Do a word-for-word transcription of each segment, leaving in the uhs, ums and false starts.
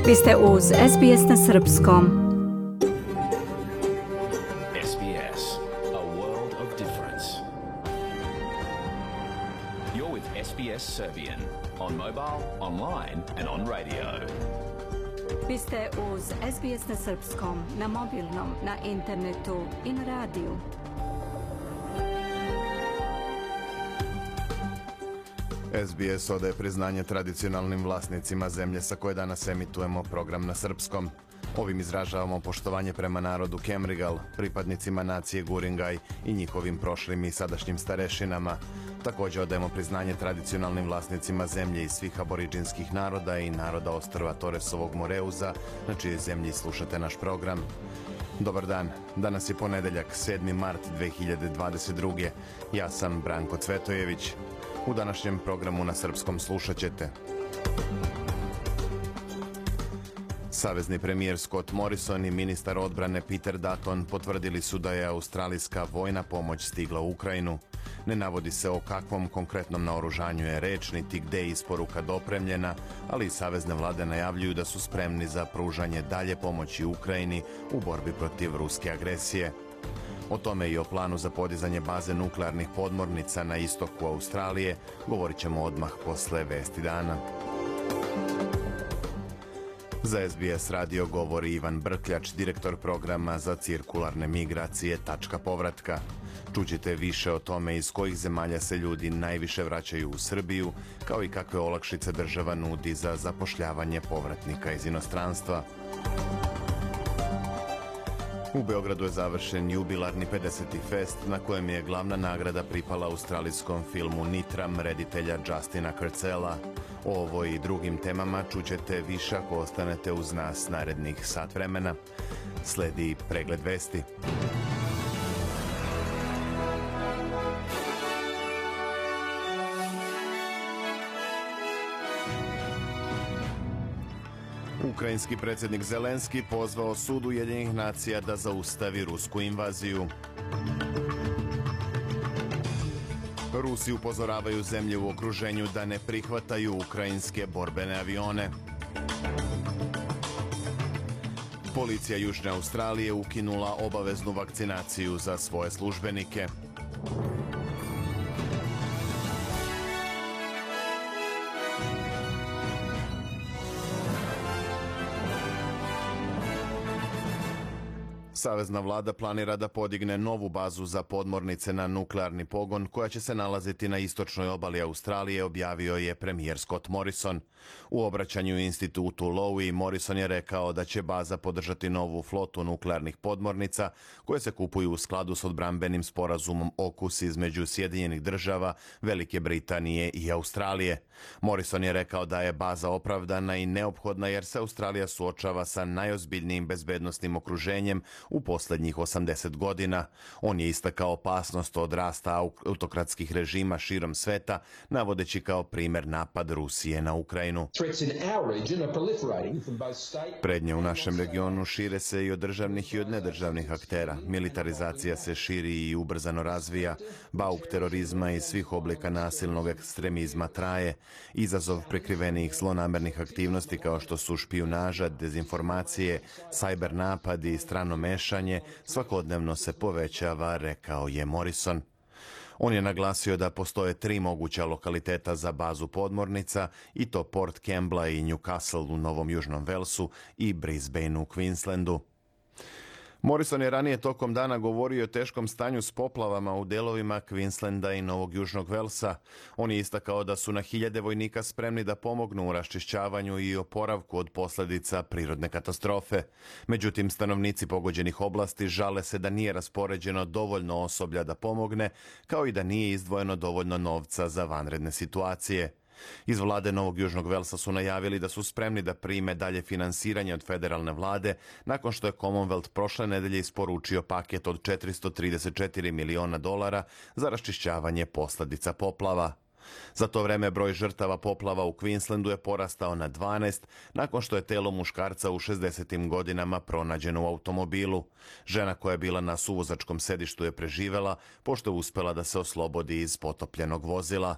Vi ste uz S B S na srpskom. S B S, a world of difference. You're with S B S Serbian on mobile, online and on radio. Vi ste uz S B S na srpskom, na mobilnom, na internetu i na radiju. S B S odaje priznanje tradicionalnim vlasnicima zemlje sa koje danas emitujemo program na srpskom. Ovim izražavamo poštovanje prema narodu Kemrigal, pripadnicima nacije Guringaj i njihovim prošlim i sadašnjim starešinama. Također odajemo priznanje tradicionalnim vlasnicima zemlje i svih aboriđinskih naroda i naroda ostrva Toresovog Moreuza, na čijoj zemlji slušate naš program. Dobar dan, danas je ponedeljak, sedmi mart dve hiljade dvadeset druge. Ja sam Branko Cvetojević. U današnjem programu na srpskom slušat ćete. Savezni premijer Scott Morrison i ministar odbrane Peter Dutton potvrdili su da je australijska vojna pomoć stigla u Ukrajinu. Ne navodi se o kakvom konkretnom naoružanju je reč, niti gde je isporuka dopremljena, ali i savezne vlade najavljuju da su spremni za pružanje dalje pomoći Ukrajini u borbi protiv ruske agresije. O tome i o planu za podizanje baze nuklearnih podmornica na istoku Australije govorit ćemo odmah posle vesti dana. Za S B S radio govori Ivan Brkljač, direktor programa za cirkularne migracije Tačka povratka. Čućete više o tome iz kojih zemalja se ljudi najviše vraćaju u Srbiju, kao i kakve olakšice država nudi za zapošljavanje povratnika iz inostranstva. U Beogradu je završen jubilarni pedeseti fest na kojem je glavna nagrada pripala australijskom filmu Nitram reditelja Justina Kurtzela. O ovoj i drugim temama čućete više ako ostanete uz nas narednih sat vremena. Sledi pregled vesti. Ukrajinski predsjednik Zelenski pozvao sud Ujedinjenih nacija da zaustavi rusku invaziju. Rusi upozoravaju zemlje u okruženju da ne prihvataju ukrajinske borbene avione. Policija Južne Australije ukinula obaveznu vakcinaciju za svoje službenike. Savezna vlada planira da podigne novu bazu za podmornice na nuklearni pogon koja će se nalaziti na istočnoj obali Australije, objavio je premijer Scott Morrison. U obraćanju institutu Lowy Morrison je rekao da će baza podržati novu flotu nuklearnih podmornica koje se kupuju u skladu s odbrambenim sporazumom AUKUS između Sjedinjenih država, Velike Britanije i Australije. Morrison je rekao da je baza opravdana i neophodna jer se Australija suočava sa najozbiljnijim bezbednosnim okruženjem u posljednjih osamdeset godina. On je istakao opasnost od rasta autokratskih režima širom sveta, navodeći kao primjer napad Rusije na Ukrajinu. Prednje u našem regionu šire se i od državnih i od nedržavnih aktera. Militarizacija se širi i ubrzano razvija. Bauk terorizma i svih oblika nasilnog ekstremizma traje. Izazov prikrivenih zlonamernih aktivnosti kao što su špijunaža, dezinformacije, sajber napadi i strano mešanje svakodnevno se povećava, rekao je Morrison. On je naglasio da postoje tri moguća lokaliteta za bazu podmornica, i to Port Kembla i Newcastle u Novom Južnom Velsu i Brisbane u Queenslandu. Morrison je ranije tokom dana govorio o teškom stanju s poplavama u delovima Queenslanda i Novog Južnog Velsa. On je istakao da su na hiljade vojnika spremni da pomognu u raščišćavanju i oporavku od posljedica prirodne katastrofe. Međutim, stanovnici pogođenih oblasti žale se da nije raspoređeno dovoljno osoblja da pomogne, kao i da nije izdvojeno dovoljno novca za vanredne situacije. Iz vlade Novog Južnog Velsa su najavili da su spremni da prime dalje finansiranje od federalne vlade nakon što je Commonwealth prošle nedelje isporučio paket od četiristo trideset četiri miliona dolara za raščišćavanje posljedica poplava. Za to vreme broj žrtava poplava u Queenslandu je porastao na dvanaest nakon što je telo muškarca u šezdesetim godinama pronađeno u automobilu. Žena koja je bila na suvozačkom sedištu je preživela pošto je uspela da se oslobodi iz potopljenog vozila.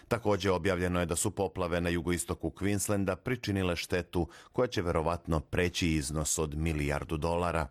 Također objavljeno je da su poplave na jugoistoku Queenslanda pričinile štetu koja će verovatno preći iznos od milijardu dolara.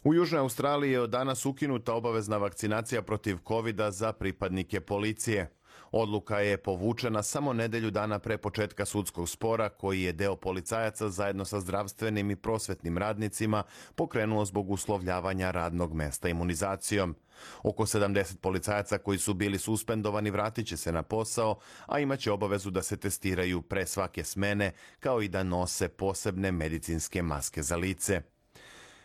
U Južnoj Australiji je od danas ukinuta obavezna vakcinacija protiv kovida za pripadnike policije. Odluka je povučena samo nedelju dana pre početka sudskog spora koji je deo policajaca zajedno sa zdravstvenim i prosvetnim radnicima pokrenuo zbog uslovljavanja radnog mesta imunizacijom. Oko sedamdeset policajaca koji su bili suspendovani vratit će se na posao, a imaće obavezu da se testiraju pre svake smene, kao i da nose posebne medicinske maske za lice.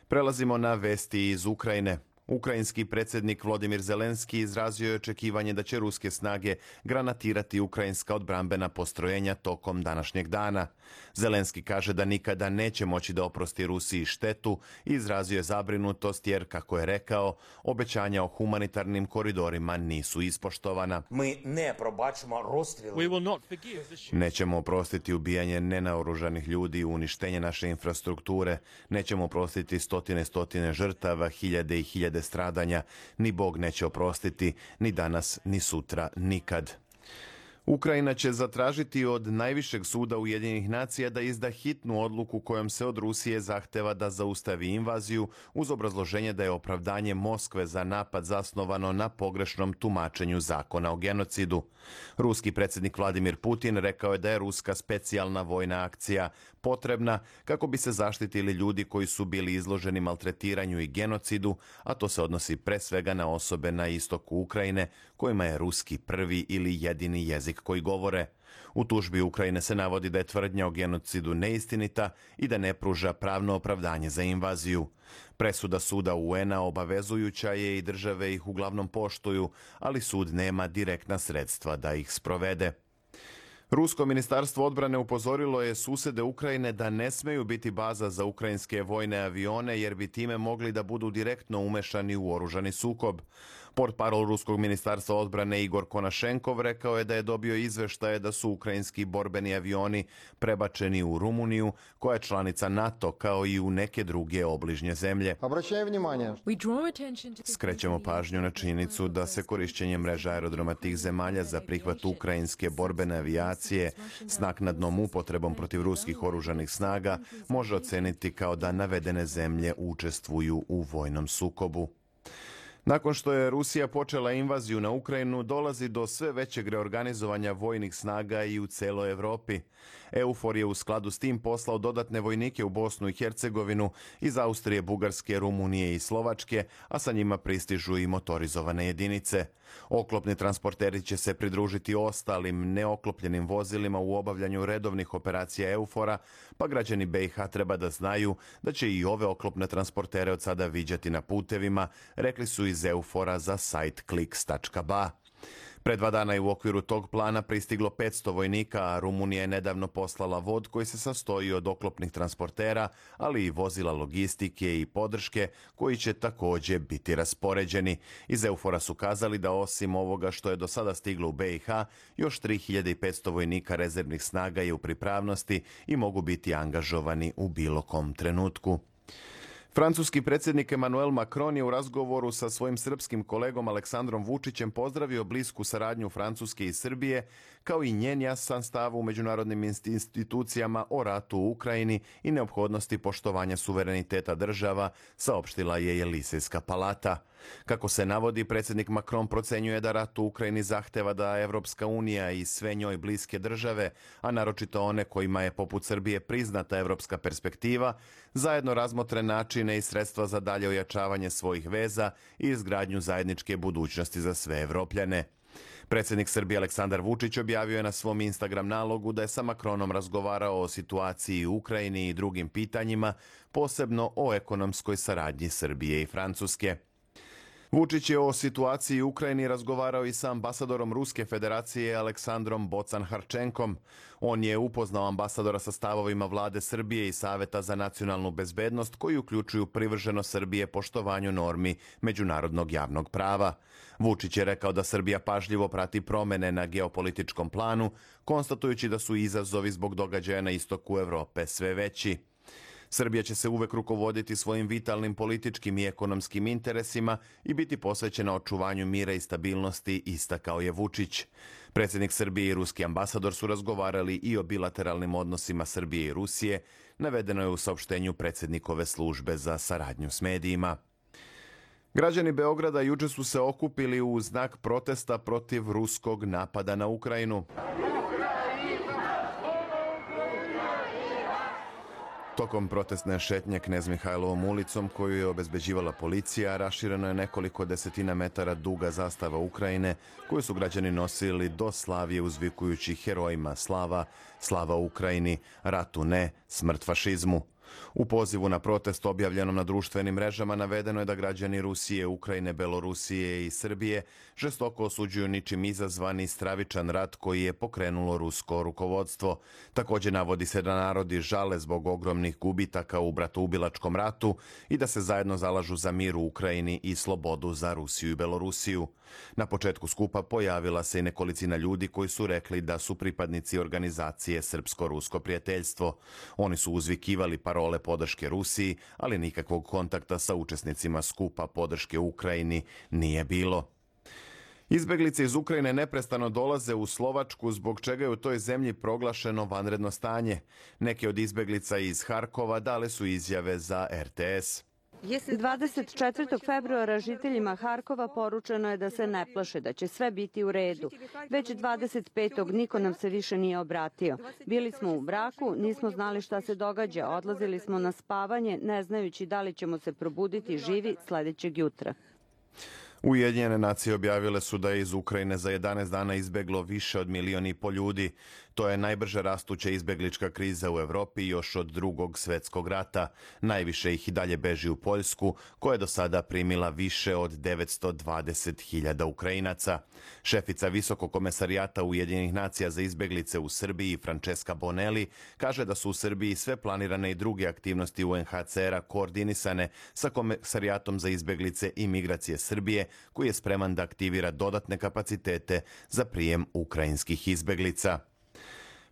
Prelazimo na vesti iz Ukrajine. Ukrajinski predsjednik Volodymyr Zelenski izrazio je očekivanje da će ruske snage granatirati ukrajinska odbrambena postrojenja tokom današnjeg dana. Zelenski kaže da nikada neće moći da oprosti Rusiji štetu i izrazio je zabrinutost jer, kako je rekao, obećanja o humanitarnim koridorima nisu ispoštovana. Mi ne probačimo rozstreli. Nećemo oprostiti ubijanje nenaoružanih ljudi i uništenje naše infrastrukture. Nećemo oprostiti stotine stotine žrtava, hiljade i hiljade stradanja. Ni Bog neće oprostiti, ni danas, ni sutra, nikad. Ukrajina će zatražiti od najvišeg suda Ujedinjenih nacija da izda hitnu odluku kojom se od Rusije zahteva da zaustavi invaziju uz obrazloženje da je opravdanje Moskve za napad zasnovano na pogrešnom tumačenju zakona o genocidu. Ruski predsjednik Vladimir Putin rekao je da je ruska specijalna vojna akcija potrebna kako bi se zaštitili ljudi koji su bili izloženi maltretiranju i genocidu, a to se odnosi pre svega na osobe na istoku Ukrajine kojima je ruski prvi ili jedini jezik koji govore. U tužbi Ukrajine se navodi da je tvrdnja o genocidu neistinita i da ne pruža pravno opravdanje za invaziju. Presuda suda U N-a obavezujuća je i države ih uglavnom poštuju, ali sud nema direktna sredstva da ih sprovede. Rusko ministarstvo odbrane upozorilo je susede Ukrajine da ne smeju biti baza za ukrajinske vojne avione jer bi time mogli da budu direktno umešani u oružani sukob. Portparol Ruskog ministarstva odbrane Igor Konašenkov rekao je da je dobio izveštaje da su ukrajinski borbeni avioni prebačeni u Rumuniju, koja je članica NATO, kao i u neke druge obližnje zemlje. Skrećemo pažnju na činjenicu da se korišćenje mreža aerodroma tih zemalja za prihvat ukrajinske borbene avijacije s naknadnom upotrebom protiv ruskih oružanih snaga može oceniti kao da navedene zemlje učestvuju u vojnom sukobu. Nakon što je Rusija počela invaziju na Ukrajinu, dolazi do sve većeg reorganizovanja vojnih snaga i u celoj Evropi. EUFOR je u skladu s tim poslao dodatne vojnike u Bosnu i Hercegovinu iz Austrije, Bugarske, Rumunije i Slovačke, a sa njima pristižu i motorizovane jedinice. Oklopni transporteri će se pridružiti ostalim neoklopljenim vozilima u obavljanju redovnih operacija EUFOR-a, pa građani B i H treba da znaju da će i ove oklopne transportere od sada viđati na putevima, rekli su iz EUFOR-a za sajt kliks tačka ba. Pre dva dana je u okviru tog plana pristiglo petsto vojnika, a Rumunija je nedavno poslala vod koji se sastoji od oklopnih transportera, ali i vozila logistike i podrške koji će također biti raspoređeni. Iz EUFOR-a su kazali da osim ovoga što je do sada stiglo u B i H, još tri hiljade petsto vojnika rezervnih snaga je u pripravnosti i mogu biti angažovani u bilo kom trenutku. Francuski predsjednik Emmanuel Macron je u razgovoru sa svojim srpskim kolegom Aleksandrom Vučićem pozdravio blisku saradnju Francuske i Srbije, kao i njen jasan stav u međunarodnim institucijama o ratu u Ukrajini i neophodnosti poštovanja suvereniteta država, saopštila je Jelisejska palata. Kako se navodi, predsjednik Macron procenjuje da rat u Ukrajini zahteva da Evropska unija i sve njoj bliske države, a naročito one kojima je poput Srbije priznata evropska perspektiva, zajedno razmotre načine i sredstva za dalje ojačavanje svojih veza i izgradnju zajedničke budućnosti za sve Evropljane. Predsjednik Srbije Aleksandar Vučić objavio je na svom Instagram nalogu da je sa Macronom razgovarao o situaciji u Ukrajini i drugim pitanjima, posebno o ekonomskoj saradnji Srbije i Francuske. Vučić je o situaciji u Ukrajini razgovarao i sa ambasadorom Ruske federacije Aleksandrom Bocan-Harčenkom. On je upoznao ambasadora sa stavovima vlade Srbije i Saveta za nacionalnu bezbednost koji uključuju privrženost Srbije poštovanju normi međunarodnog javnog prava. Vučić je rekao da Srbija pažljivo prati promene na geopolitičkom planu, konstatujući da su izazovi zbog događaja na istoku Evrope sve veći. Srbija će se uvek rukovoditi svojim vitalnim političkim i ekonomskim interesima i biti posvećena očuvanju mira i stabilnosti, istakao je Vučić. Predsjednik Srbije i ruski ambasador su razgovarali i o bilateralnim odnosima Srbije i Rusije, navedeno je u saopštenju predsjednikove službe za saradnju s medijima. Građani Beograda juče su se okupili u znak protesta protiv ruskog napada na Ukrajinu. Tokom protestne šetnje Knez Mihajlovom ulicom, koju je obezbeđivala policija, rašireno je nekoliko desetina metara duga zastava Ukrajine, koju su građani nosili do Slavije uzvikujući herojima slava, slava Ukrajini, ratu ne, smrt fašizmu. U pozivu na protest objavljenom na društvenim mrežama navedeno je da građani Rusije, Ukrajine, Belorusije i Srbije žestoko osuđuju ničim izazvani stravičan rat koji je pokrenulo rusko rukovodstvo. Također navodi se da narodi žale zbog ogromnih gubitaka u bratoubilačkom ratu i da se zajedno zalažu za mir u Ukrajini i slobodu za Rusiju i Belorusiju. Na početku skupa pojavila se i nekolicina ljudi koji su rekli da su pripadnici organizacije Srpsko-rusko prijateljstvo. Oni su uzvikivali parole podrške Rusiji, ali nikakvog kontakta sa učesnicima skupa podrške Ukrajini nije bilo. Izbeglice iz Ukrajine neprestano dolaze u Slovačku, zbog čega je u toj zemlji proglašeno vanredno stanje. Neke od izbeglica iz Harkova dale su izjave za R T S. dvadeset četvrtog februara žiteljima Harkova poručeno je da se ne plaše, da će sve biti u redu. Već dvadeset petog niko nam se više nije obratio. Bili smo u braku, nismo znali šta se događa, odlazili smo na spavanje, ne znajući da li ćemo se probuditi živi sljedećeg jutra. Ujedinjene nacije objavile su da je iz Ukrajine za jedanaest dana izbeglo više od milion i po ljudi. To je najbrže rastuća izbeglička kriza u Evropi još od drugog svjetskog rata. Najviše ih i dalje beži u Poljsku, koja je do sada primila više od devetsto dvadeset hiljada Ukrajinaca. Šefica Visokog komesarijata Ujedinjenih nacija za izbeglice u Srbiji, Francesca Bonelli, kaže da su u Srbiji sve planirane i druge aktivnosti U N H C R-a koordinisane sa Komesarijatom za izbeglice i migracije Srbije, koji je spreman da aktivira dodatne kapacitete za prijem ukrajinskih izbeglica.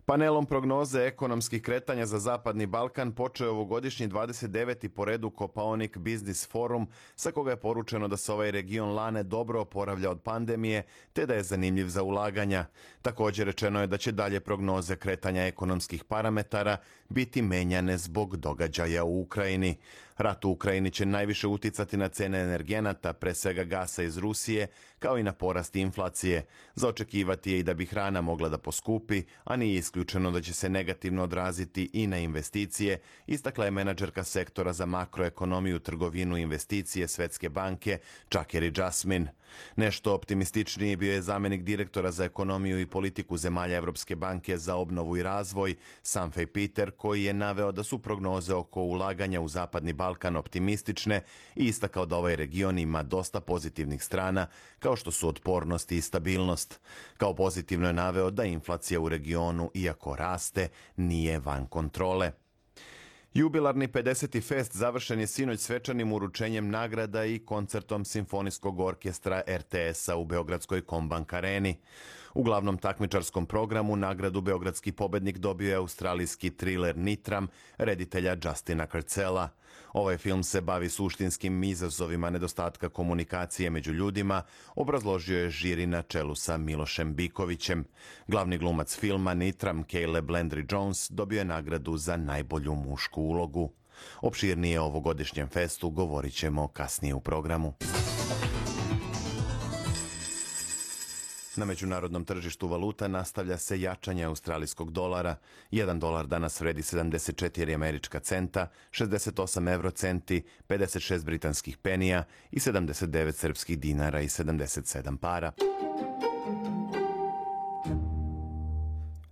Panelom prognoze ekonomskih kretanja za Zapadni Balkan počeo ovogodišnji dvadeset deveti po redu Kopaonik Business Forum, sa koga je poručeno da se ovaj region lane dobro oporavlja od pandemije, te da je zanimljiv za ulaganja. Također rečeno je da će dalje prognoze kretanja ekonomskih parametara biti menjane zbog događaja u Ukrajini. Rat u Ukrajini će najviše uticati na cene energenata, pre svega gasa iz Rusije, kao i na porast inflacije. Za očekivati je i da bi hrana mogla da poskupi, a nije isključeno da će se negativno odraziti i na investicije, istakla je menadžerka sektora za makroekonomiju, trgovinu i investicije Svetske banke Čakeri Jasmin. Nešto optimističniji bio je zamjenik direktora za ekonomiju i politiku zemalja Evropske banke za obnovu i razvoj, Sanfej Peter, koji je naveo da su prognoze oko ulaganja u Zapadni Balkan optimistične i istakao da ovaj region ima dosta pozitivnih strana, kao što su otpornost i stabilnost. Kao pozitivno je naveo da inflacija u regionu, iako raste, nije van kontrole. Jubilarni pedeseti fest završen je sinoć svečanim uručenjem nagrada i koncertom Simfonijskog orkestra R T S-a u Beogradskoj Kombank areni. U glavnom takmičarskom programu nagradu beogradski pobednik dobio je australijski triler Nitram, reditelja Justina Kurtzela. Ovaj film se bavi suštinskim izazovima nedostatka komunikacije među ljudima, obrazložio je žiri na čelu sa Milošem Bikovićem. Glavni glumac filma Nitram, Caleb Landry Jones, dobio je nagradu za najbolju mušku ulogu. Opširnije o ovogodišnjem festu govorit ćemo kasnije u programu. Na međunarodnom tržištu valuta nastavlja se jačanje australijskog dolara. Jedan dolar danas vredi sedamdeset četiri američka centa, šezdeset osam evrocenti, pedeset šest britanskih penija i sedamdeset devet srpskih dinara i sedamdeset sedam para.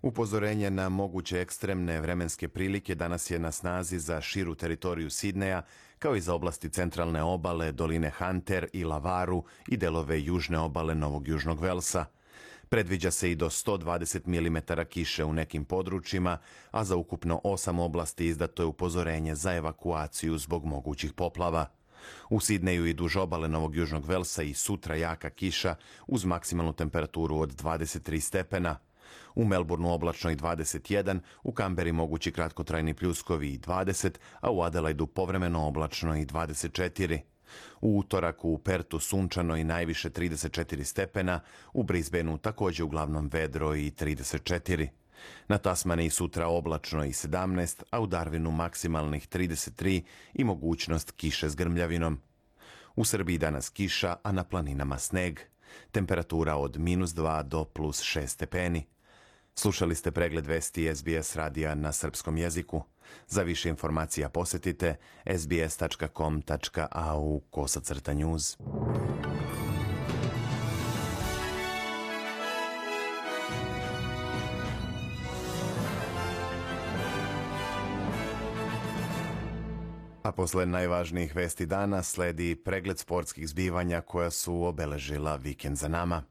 U Upozorenje na moguće ekstremne vremenske prilike danas je na snazi za širu teritoriju Sidneja, kao i za oblasti centralne obale, doline Hunter i Lavaru i delove južne obale Novog Južnog Velsa. Predviđa se i do sto dvadeset milimetara kiše u nekim područjima, a za ukupno osam oblasti izdato je upozorenje za evakuaciju zbog mogućih poplava. U Sidneju i duž obale Novog Južnog Velsa i sutra jaka kiša uz maksimalnu temperaturu od dvadeset tri stepena. U Melbourneu oblačno i dvadeset jedan, u Kamberi mogući kratkotrajni pljuskovi i dvadeset, a u Adelaidu povremeno oblačno i dvadeset četiri. U utorak u Pertu sunčano i najviše trideset četiri stepena, u Brisbaneu također uglavnom vedro i trideset četiri. Na Tasmaniji sutra oblačno i sedamnaest, a u Darwinu maksimalnih trideset tri i mogućnost kiše s grmljavinom. U Srbiji danas kiša, a na planinama sneg. Temperatura od minus dva do plus šest stepeni. Slušali ste pregled vesti S B S radija na srpskom jeziku. Za više informacija posjetite s b s tačka com tačka a u kosacrta news. A posle najvažnijih vesti dana sledi pregled sportskih zbivanja koja su obeležila vikend za nama.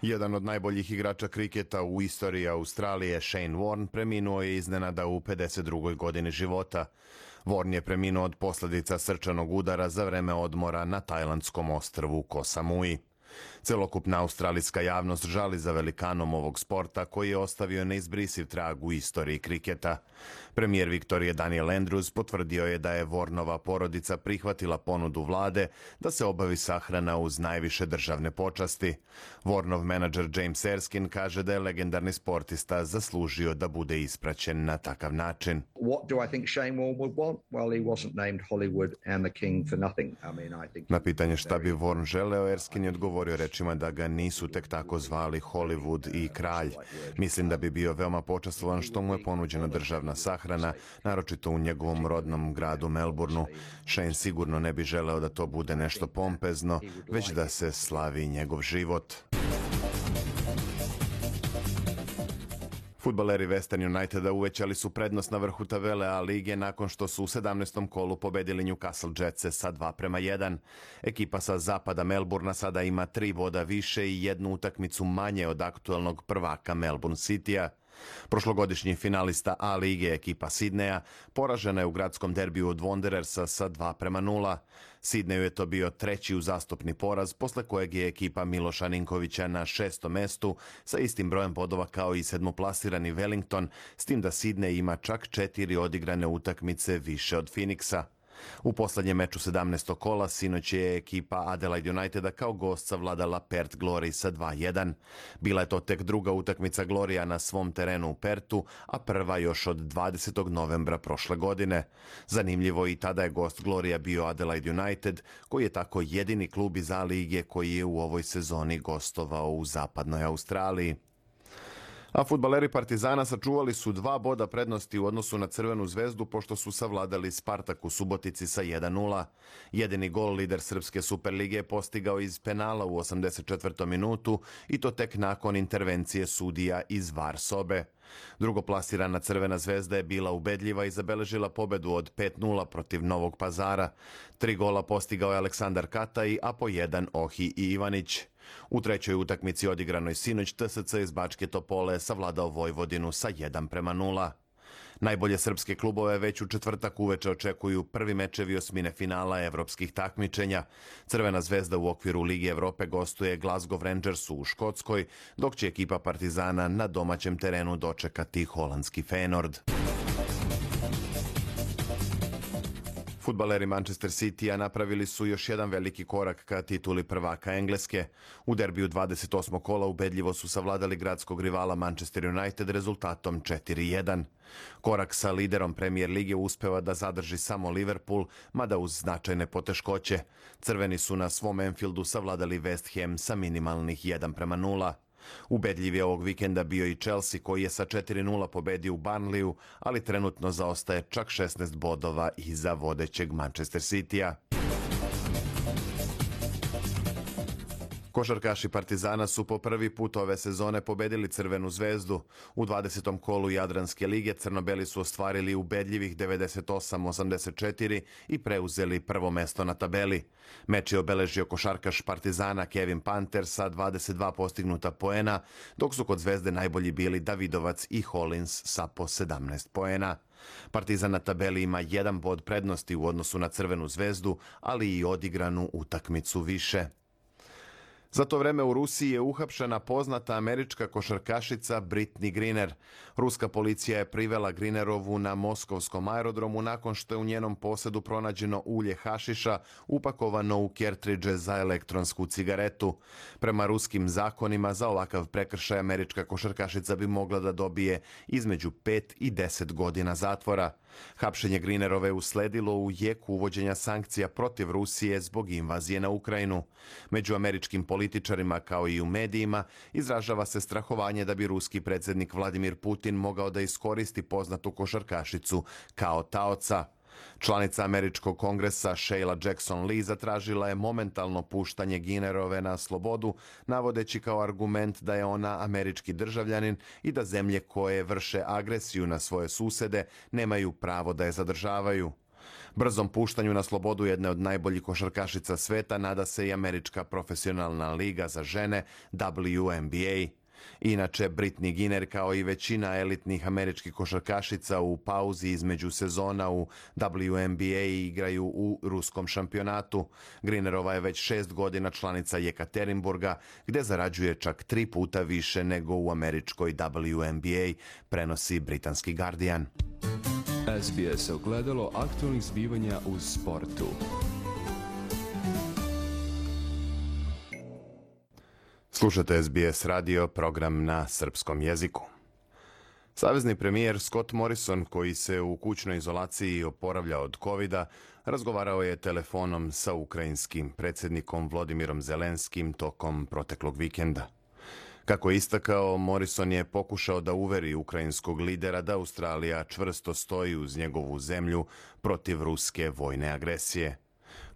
Jedan od najboljih igrača kriketa u istoriji Australije, Shane Warne, preminuo je iznenada u pedeset drugoj godini života. Warne je preminuo od posljedica srčanog udara za vreme odmora na tajlandskom ostrvu Koh Samui. Celokupna australijska javnost žali za velikanom ovog sporta koji je ostavio neizbrisiv trag u istoriji kriketa. Premijer Viktorije Daniel Andrews potvrdio je da je Warnova porodica prihvatila ponudu vlade da se obavi sahrana uz najviše državne počasti. Warnov menadžer James Erskine kaže da je legendarni sportista zaslužio da bude ispraćen na takav način. Na pitanje šta bi Warne želeo, Erskine je odgovorio rečima da ga nisu tek tako zvali Hollywood i kralj. Mislim da bi bio veoma počastvovan što mu je ponuđena državna sahrana, naročito u njegovom rodnom gradu Melbourneu. Shane sigurno ne bi želeo da to bude nešto pompezno, već da se slavi njegov život. Fudbaleri Western Uniteda uvećali su prednost na vrhu tabele A lige nakon što su u sedamnaestom kolu pobedili Newcastle Jetse sa dva prema jedan. Ekipa sa zapada Melbourna sada ima tri boda više i jednu utakmicu manje od aktuelnog prvaka Melbourne Citya. Prošlogodišnji finalista A lige ekipa Sidneja poražena je u gradskom derbiju od Wanderersa sa dva prema nula. Sidneju je to bio treći uzastopni poraz, posle kojeg je ekipa Miloša Ninkovića na šestom mestu sa istim brojem bodova kao i sedmoplasirani Wellington, s tim da Sidney ima čak četiri odigrane utakmice više od Phoenixa. U poslednjem meču sedamnaestog kola sinoć je ekipa Adelaide Uniteda kao gost savladala Perth Glory sa dva jedan. Bila je to tek druga utakmica Glorija na svom terenu u Pertu, a prva još od dvadesetog novembra prošle godine. Zanimljivo, i tada je gost Glorija bio Adelaide United, koji je tako jedini klub iz A lige koji je u ovoj sezoni gostovao u zapadnoj Australiji. A fudbaleri Partizana sačuvali su dva boda prednosti u odnosu na Crvenu zvezdu pošto su savladali Spartak u Subotici sa jedan nula. Jedini gol lider Srpske Superlige je postigao iz penala u osamdeset četvrtom minutu i to tek nakon intervencije sudija iz var sobe. Drugoplasirana Crvena zvezda je bila ubedljiva i zabeležila pobedu od pet nula protiv Novog Pazara. Tri gola postigao je Aleksandar Kataj, a po jedan Ohi i Ivanić. U trećoj utakmici odigranoj sinoć T S C iz Bačke Topole savladao Vojvodinu sa jedan prema nula. Najbolje srpske klubove već u četvrtak uveče očekuju prvi mečevi osmine finala evropskih takmičenja. Crvena zvezda u okviru Lige Evrope gostuje Glasgow Rangersu u Škotskoj, dok će ekipa Partizana na domaćem terenu dočekati holandski Feyenoord. Fudbaleri Manchester Citya napravili su još jedan veliki korak ka tituli prvaka Engleske. U derbiju dvadeset osmog kola ubedljivo su savladali gradskog rivala Manchester United rezultatom četiri jedan. Korak sa liderom Premier lige uspeva da zadrži samo Liverpool, mada uz značajne poteškoće. Crveni su na svom Anfieldu savladali West Ham sa minimalnih jedan prema nula. Ubedljiv je ovog vikenda bio i Chelsea koji je sa četiri nula pobedio u Burnleyu, ali trenutno zaostaje čak šesnaest bodova iza vodećeg Manchester Citya. Košarkaši Partizana su po prvi put ove sezone pobedili Crvenu zvezdu. U dvadesetom kolu Jadranske lige crno-beli su ostvarili ubedljivih devedeset osam osamdeset četiri i preuzeli prvo mesto na tabeli. Meč je obeležio košarkaš Partizana Kevin Panter sa dvadeset dva postignuta poena, dok su kod Zvezde najbolji bili Davidovac i Hollins sa po sedamnaest poena. Partizan na tabeli ima jedan bod prednosti u odnosu na Crvenu zvezdu, ali i odigranu utakmicu više. Za to vreme u Rusiji je uhapšena poznata američka košarkašica Brittney Griner. Ruska policija je privela Grinerovu na moskovskom aerodromu nakon što je u njenom posedu pronađeno ulje hašiša upakovano u kertridže za elektronsku cigaretu. Prema ruskim zakonima za ovakav prekršaj američka košarkašica bi mogla da dobije između pet i deset godina zatvora. Hapšenje Grinerove usledilo u jeku uvođenja sankcija protiv Rusije zbog invazije na Ukrajinu. Među američkim političarima kao i u medijima izražava se strahovanje da bi ruski predsjednik Vladimir Putin mogao da iskoristi poznatu košarkašicu kao taoca. Članica američkog kongresa Sheila Jackson Lee zatražila je momentalno puštanje Grinerove na slobodu, navodeći kao argument da je ona američki državljanin i da zemlje koje vrše agresiju na svoje susede nemaju pravo da je zadržavaju. Brzom puštanju na slobodu jedne od najboljih košarkašica sveta nada se i američka profesionalna liga za žene W N B A. Inače, Brittney Griner kao i većina elitnih američkih košarkašica u pauzi između sezona u W N B A igraju u ruskom šampionatu. Grinerova je već šest godina članica Jekaterinburga, gdje zarađuje čak tri puta više nego u američkoj W N B A, prenosi britanski Guardian. S B S ogledalo aktualnih zbivanja u sportu. Slušate S B S radio, program na srpskom jeziku. Savezni premijer Scott Morrison, koji se u kućnoj izolaciji oporavlja od kovida, razgovarao je telefonom sa ukrajinskim predsjednikom Volodymyrom Zelenskim tokom proteklog vikenda. Kako je istakao, Morrison je pokušao da uveri ukrajinskog lidera da Australija čvrsto stoji uz njegovu zemlju protiv ruske vojne agresije.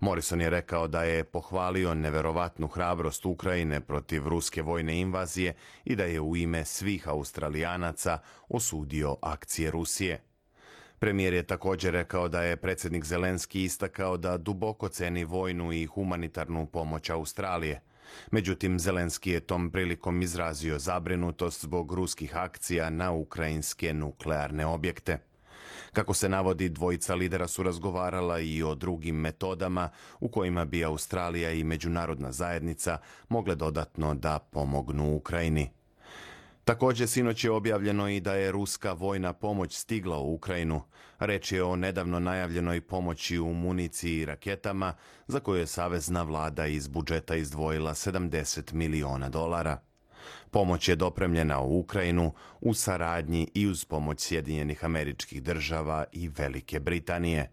Morrison je rekao da je pohvalio neverovatnu hrabrost Ukrajine protiv ruske vojne invazije i da je u ime svih Australijanaca osudio akcije Rusije. Premijer je također rekao da je predsjednik Zelenski istakao da duboko ceni vojnu i humanitarnu pomoć Australije. Međutim, Zelenski je tom prilikom izrazio zabrinutost zbog ruskih akcija na ukrajinske nuklearne objekte. Kako se navodi, dvojica lidera su razgovarala i o drugim metodama u kojima bi Australija i međunarodna zajednica mogle dodatno da pomognu Ukrajini. Također, sinoć je objavljeno i da je ruska vojna pomoć stigla u Ukrajinu. Reč je o nedavno najavljenoj pomoći u municiji i raketama, za koju je savezna vlada iz budžeta izdvojila sedamdeset miliona dolara. Pomoć je dopremljena u Ukrajinu u saradnji i uz pomoć Sjedinjenih Američkih Država i Velike Britanije.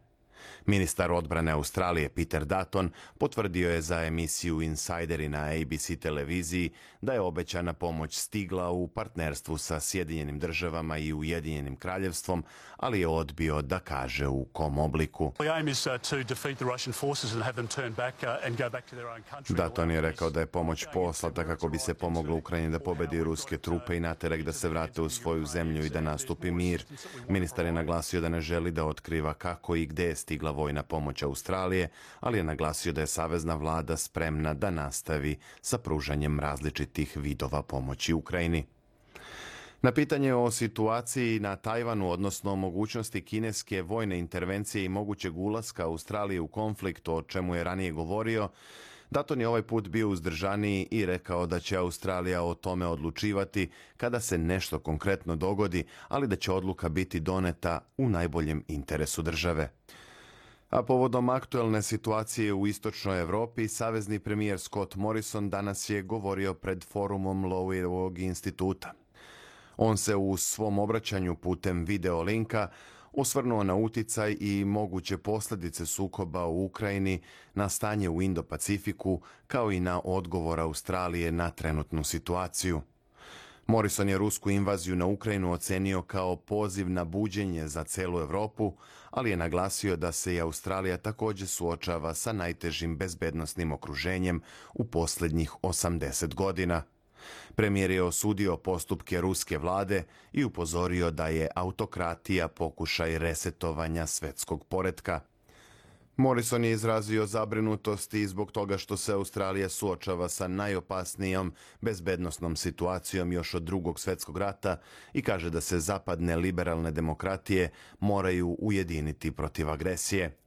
Ministar odbrane Australije Peter Dutton potvrdio je za emisiju Insideri na A B C televiziji da je obećana pomoć stigla u partnerstvu sa Sjedinjenim Državama i Ujedinjenim Kraljevstvom, ali je odbio da kaže u kom obliku. Dutton je rekao da je pomoć poslata kako bi se pomoglo Ukrajini da pobedi ruske trupe i naterek da se vrate u svoju zemlju i da nastupi mir. Ministar je naglasio da ne želi da otkriva kako i gde je stigla vojna pomoć Australije, ali je naglasio da je savezna vlada spremna da nastavi sa pružanjem različitih vidova pomoći Ukrajini. Na pitanje o situaciji na Tajvanu, odnosno o mogućnosti kineske vojne intervencije i mogućeg ulaska Australije u konflikt, o čemu je ranije govorio, Dutton je ovaj put bio uzdržaniji i rekao da će Australija o tome odlučivati kada se nešto konkretno dogodi, ali da će odluka biti doneta u najboljem interesu države. A povodom aktuelne situacije u istočnoj Evropi, savezni premijer Scott Morrison danas je govorio pred forumom Loweyevog instituta. On se u svom obraćanju putem video linka osvrnuo na uticaj i moguće posljedice sukoba u Ukrajini, na stanje u Indo-Pacifiku, kao i na odgovor Australije na trenutnu situaciju. Morrison je rusku invaziju na Ukrajinu ocenio kao poziv na buđenje za celu Evropu, ali je naglasio da se i Australija također suočava sa najtežim bezbednosnim okruženjem u posljednjih osamdeset godina. Premijer je osudio postupke ruske vlade i upozorio da je autokratija pokušaj resetovanja svetskog poretka. Morrison je izrazio zabrinutost i zbog toga što se Australija suočava sa najopasnijom bezbednosnom situacijom još od drugog svjetskog rata i kaže da se zapadne liberalne demokratije moraju ujediniti protiv agresije.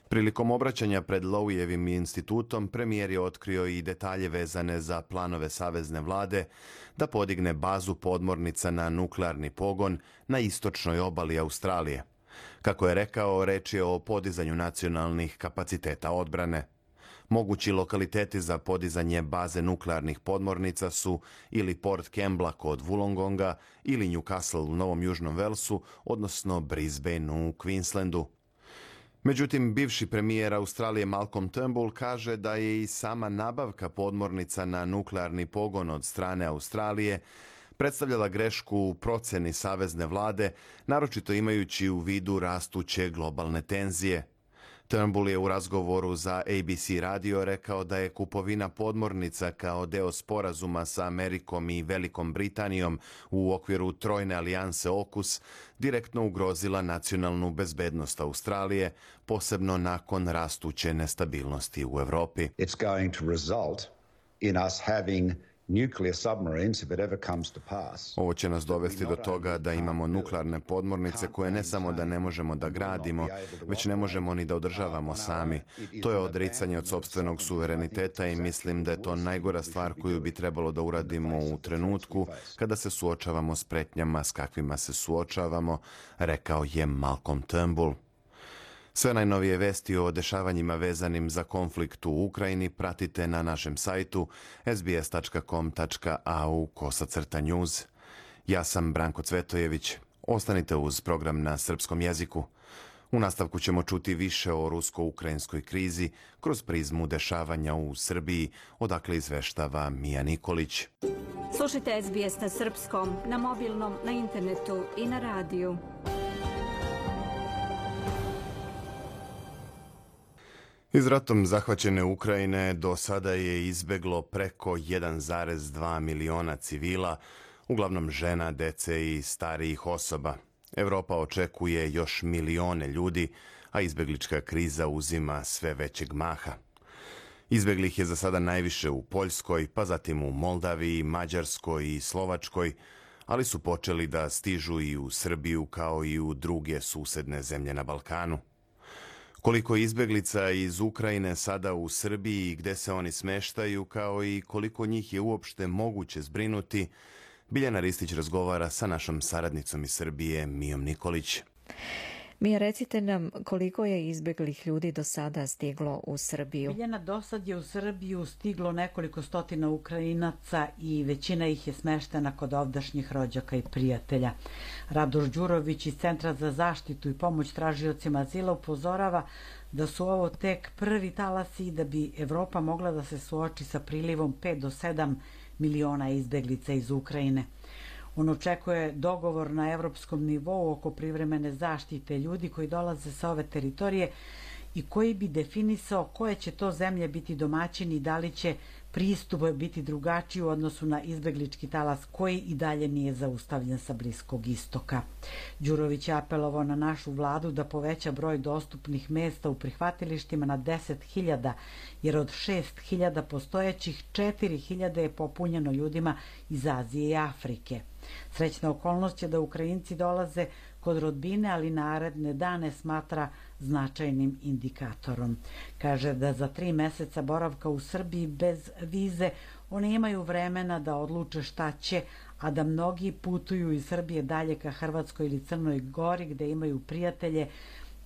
Prilikom obraćanja pred Lowijevim institutom, premijer je otkrio i detalje vezane za planove savezne vlade da podigne bazu podmornica na nuklearni pogon na istočnoj obali Australije. Kako je rekao, reč je o podizanju nacionalnih kapaciteta odbrane. Mogući lokaliteti za podizanje baze nuklearnih podmornica su ili Port Kembla kod Wollongonga ili Newcastle u Novom Južnom Velsu, odnosno Brisbane u Queenslandu. Međutim, bivši premijer Australije Malcolm Turnbull kaže da je i sama nabavka podmornica na nuklearni pogon od strane Australije predstavljala grešku u proceni savezne vlade, naročito imajući u vidu rastuće globalne tenzije. Turnbull je u razgovoru za A B C radio rekao da je kupovina podmornica kao deo sporazuma sa Amerikom i Velikom Britanijom u okviru trojne alijanse AUKUS direktno ugrozila nacionalnu bezbednost Australije, posebno nakon rastuće nestabilnosti u Evropi. It's going to result in us having nuclear submarines if it ever comes to pass. Ovo će nas dovesti do toga da imamo nuklearne podmornice koje ne samo da ne možemo da gradimo, već ne možemo ni da održavamo sami. To je odricanje od sopstvenog suvereniteta i mislim da je to najgora stvar koju bi trebalo da uradimo u trenutku kada se suočavamo s pretnjama s kakvima se suočavamo, rekao je Malcolm Turnbull. Sve najnovije vesti o dešavanjima vezanim za konflikt u Ukrajini pratite na našem sajtu s b s tačka com tačka a u kosacrta news. Ja sam Branko Cvetojević. Ostanite uz program na srpskom jeziku. U nastavku ćemo čuti više o rusko-ukrajinskoj krizi kroz prizmu dešavanja u Srbiji, odakle izveštava Mija Nikolić. Slušajte S B S na srpskom, na mobilnom, na internetu i na radiju. Iz ratom zahvaćene Ukrajine do sada je izbeglo preko jedan zarez dva miliona civila, uglavnom žena, dece i starijih osoba. Evropa očekuje još milione ljudi, a izbeglička kriza uzima sve većeg maha. Izbeglih je za sada najviše u Poljskoj, pa zatim u Moldaviji, Mađarskoj i Slovačkoj, ali su počeli da stižu i u Srbiju kao i u druge susedne zemlje na Balkanu. Koliko izbeglica iz Ukrajine sada u Srbiji i gde se oni smeštaju, kao i koliko njih je uopšte moguće zbrinuti, Biljana Ristić razgovara sa našom saradnicom iz Srbije, Mijom Nikolić. Mija, recite nam koliko je izbeglih ljudi do sada stiglo u Srbiju? Biljana, do sad je u Srbiju stiglo nekoliko stotina Ukrajinaca i većina ih je smeštena kod ovdašnjih rođaka i prijatelja. Radoš Đurović iz Centra za zaštitu i pomoć tražiocima azila upozorava da su ovo tek prvi talasi i da bi Evropa mogla da se suoči sa prilivom pet do sedam miliona izbeglica iz Ukrajine. On očekuje dogovor na evropskom nivou oko privremene zaštite ljudi koji dolaze sa ove teritorije i koji bi definisao koje će to zemlje biti domaćini i da li će pristup biti drugačiji u odnosu na izbeglički talas koji i dalje nije zaustavljen sa Bliskog istoka. Đurović je apelovao na našu vladu da poveća broj dostupnih mesta u prihvatilištima na deset hiljada, jer od šest hiljada postojećih četiri hiljade je popunjeno ljudima iz Azije i Afrike. Srećna okolnost je da Ukrajinci dolaze kod rodbine, ali naredne dane smatra značajnim indikatorom. Kaže da za tri meseca boravka u Srbiji bez vize oni imaju vremena da odluče šta će, a da mnogi putuju iz Srbije dalje ka Hrvatskoj ili Crnoj Gori gde imaju prijatelje,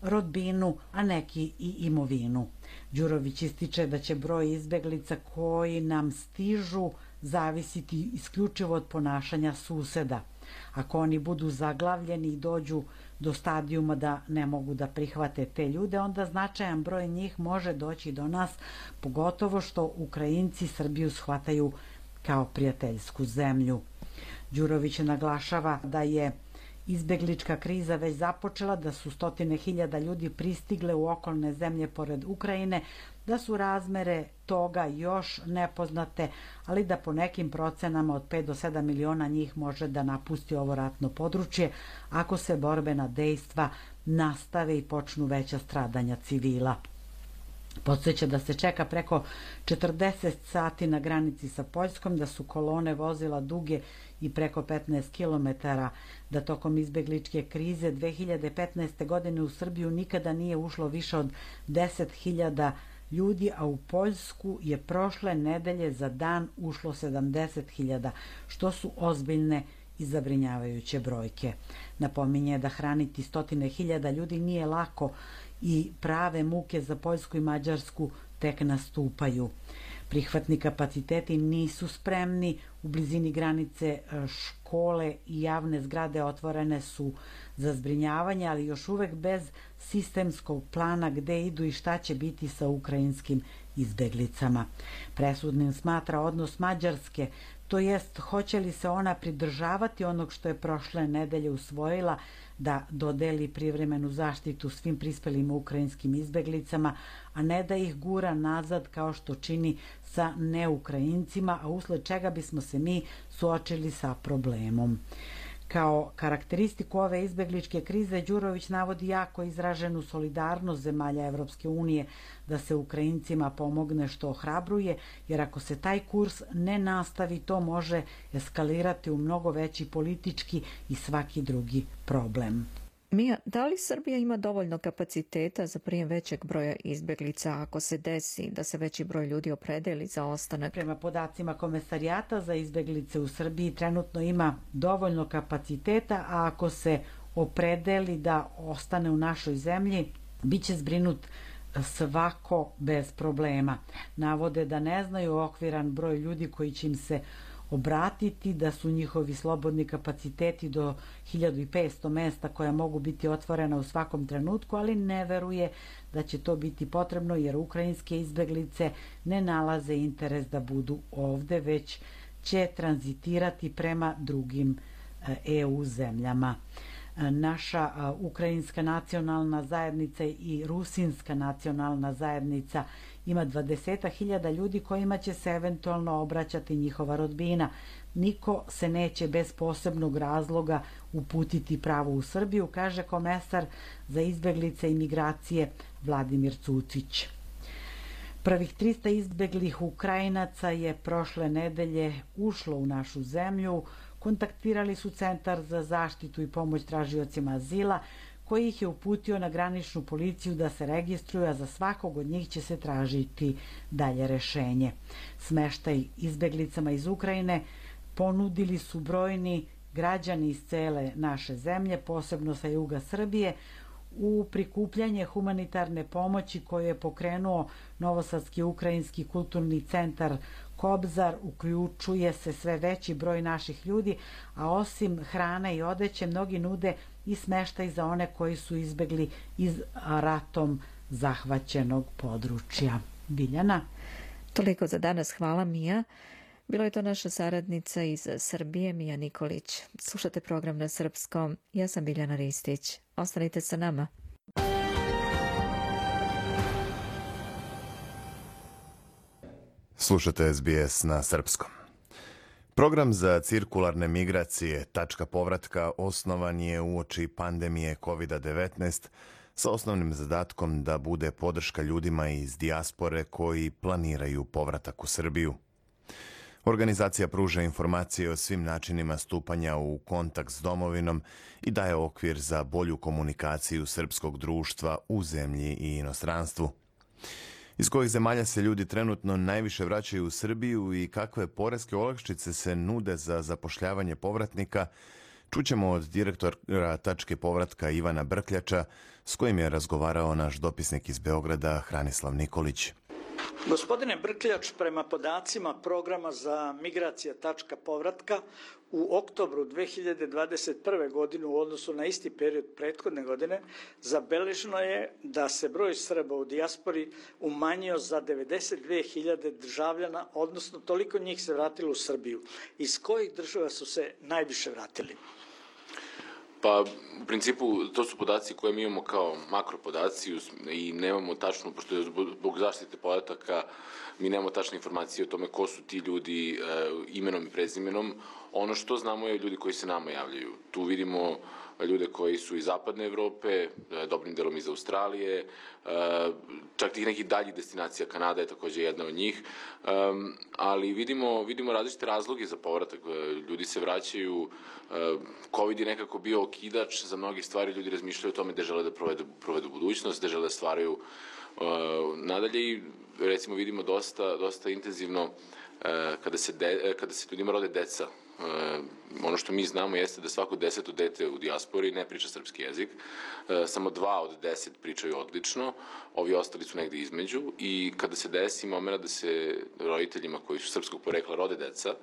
rodbinu, a neki i imovinu. Đurović ističe da će broj izbeglica koji nam stižu zavisiti isključivo od ponašanja suseda. Ako oni budu zaglavljeni i dođu do stadijuma da ne mogu da prihvate te ljude, onda značajan broj njih može doći do nas, pogotovo što Ukrajinci Srbiju shvataju kao prijateljsku zemlju. Đurović naglašava da je izbeglička kriza već započela, da su stotine hiljada ljudi pristigle u okolne zemlje pored Ukrajine, da su razmere toga još nepoznate, ali da po nekim procenama od pet do sedam miliona njih može da napusti ovo ratno područje ako se borbena dejstva nastave i počnu veća stradanja civila. Podsjeća da se čeka preko četrdeset sati na granici sa Poljskom, da su kolone vozila duge i preko petnaest kilometara, da tokom izbegličke krize dve hiljade petnaeste. godine u Srbiju nikada nije ušlo više od deset hiljada ljudi, a u Poljsku je prošle nedelje za dan ušlo sedamdeset hiljada, što su ozbiljne i zabrinjavajuće brojke. Napominje da hraniti stotine hiljada ljudi nije lako i prave muke za Poljsku i Mađarsku tek nastupaju. Prihvatni kapaciteti nisu spremni, u blizini granice škole i javne zgrade otvorene su za zbrinjavanje, ali još uvek bez sistemskog plana gde idu i šta će biti sa ukrajinskim izbeglicama. Presudnim smatra odnos Mađarske, to jest hoće li se ona pridržavati onog što je prošle nedelje usvojila, da dodeli privremenu zaštitu svim prispelim ukrajinskim izbeglicama, a ne da ih gura nazad kao što čini sa neukrajincima, a usled čega bismo se mi suočili sa problemom. Kao karakteristiku ove izbegličke krize Đurović navodi jako izraženu solidarnost zemalja Evropske unije da se Ukrajincima pomogne, što ohrabruje, jer ako se taj kurs ne nastavi, to može eskalirati u mnogo veći politički i svaki drugi problem. Mija, da li Srbija ima dovoljno kapaciteta za prijem većeg broja izbeglica ako se desi da se veći broj ljudi opredeli za ostanak? Prema podacima Komesarijata za izbeglice u Srbiji trenutno ima dovoljno kapaciteta, a ako se opredeli da ostane u našoj zemlji, bit će zbrinut svako bez problema. Navode da ne znaju okviran broj ljudi koji će im se obratiti, da su njihovi slobodni kapaciteti do hiljadu petsto mesta koja mogu biti otvorena u svakom trenutku, ali ne veruje da će to biti potrebno jer ukrajinske izbeglice ne nalaze interes da budu ovde, već će tranzitirati prema drugim E U zemljama. Naša ukrajinska nacionalna zajednica i rusinska nacionalna zajednica ima dvadeset hiljada ljudi kojima će se eventualno obraćati njihova rodbina. Niko se neće bez posebnog razloga uputiti pravo u Srbiju, kaže komesar za izbeglice i migracije Vladimir Cucić. Prvih trista izbeglih Ukrajinaca je prošle nedelje ušlo u našu zemlju. Kontaktirali su Centar za zaštitu i pomoć tražiocima azila, koji ih je uputio na graničnu policiju da se registruju, a za svakog od njih će se tražiti dalje rešenje. Smeštaj izbeglicama iz Ukrajine ponudili su brojni građani iz cele naše zemlje, posebno sa juga Srbije, u prikupljanje humanitarne pomoći koju je pokrenuo Novosadski ukrajinski kulturni centar Kobzar. Uključuje se sve veći broj naših ljudi, a osim hrane i odeće, mnogi nude i smeštaj za one koji su izbegli iz ratom zahvaćenog područja. Biljana? Toliko za danas. Hvala, Mija. Bilo je to naša saradnica iz Srbije, Mija Nikolić. Slušate program na srpskom. Ja sam Biljana Ristić. Ostanite sa nama. Slušate S B S na srpskom. Program za cirkularne migracije Tačka povratka osnovan je uoči pandemije kovid devetnaest sa osnovnim zadatkom da bude podrška ljudima iz dijaspore koji planiraju povratak u Srbiju. Organizacija pruža informacije o svim načinima stupanja u kontakt s domovinom i daje okvir za bolju komunikaciju srpskog društva u zemlji i inostranstvu. Iz kojih zemalja se ljudi trenutno najviše vraćaju u Srbiju i kakve poreske olakšice se nude za zapošljavanje povratnika, čućemo od direktora Tačke povratka Ivana Brkljača, s kojim je razgovarao naš dopisnik iz Beograda Hranislav Nikolić. Gospodine Brkljač, prema podacima programa za migracija tačka povratka, u oktobru dve hiljade dvadeset prve. godine u odnosu na isti period prethodne godine zabeleženo je da se broj Srba u dijaspori umanjio za devedeset dve hiljade državljana, odnosno toliko njih se vratilo u Srbiju. Iz kojih država su se najviše vratili? Pa, u principu, to su podaci koje mi imamo kao makropodaci i nemamo tačno, pošto je zbog zaštite podataka, mi nemamo tačne informacije o tome ko su ti ljudi e, imenom i prezimenom. Ono što znamo je ljudi koji se nama javljaju. Tu vidimo ljude koji su iz zapadne Evrope, dobrim delom iz Australije, čak tih nekih daljih destinacija, Kanada je takođe jedna od njih, ali vidimo, vidimo različite razloge za povratak. Ljudi se vraćaju, COVID je nekako bio okidač za mnogi stvari, ljudi razmišljaju o tome gde žele da provedu, provedu budućnost, gde žele da stvaraju nadalje i recimo vidimo dosta, dosta intenzivno kada se, de, kada se ljudima rode deca. Ono što mi znamo jeste da svako deseto dete u dijaspori ne priča srpski jezik, samo dva od deset pričaju odlično, ovi ostali su negde između i kada se desi momena da se roditeljima koji su srpskog porekla rode deca,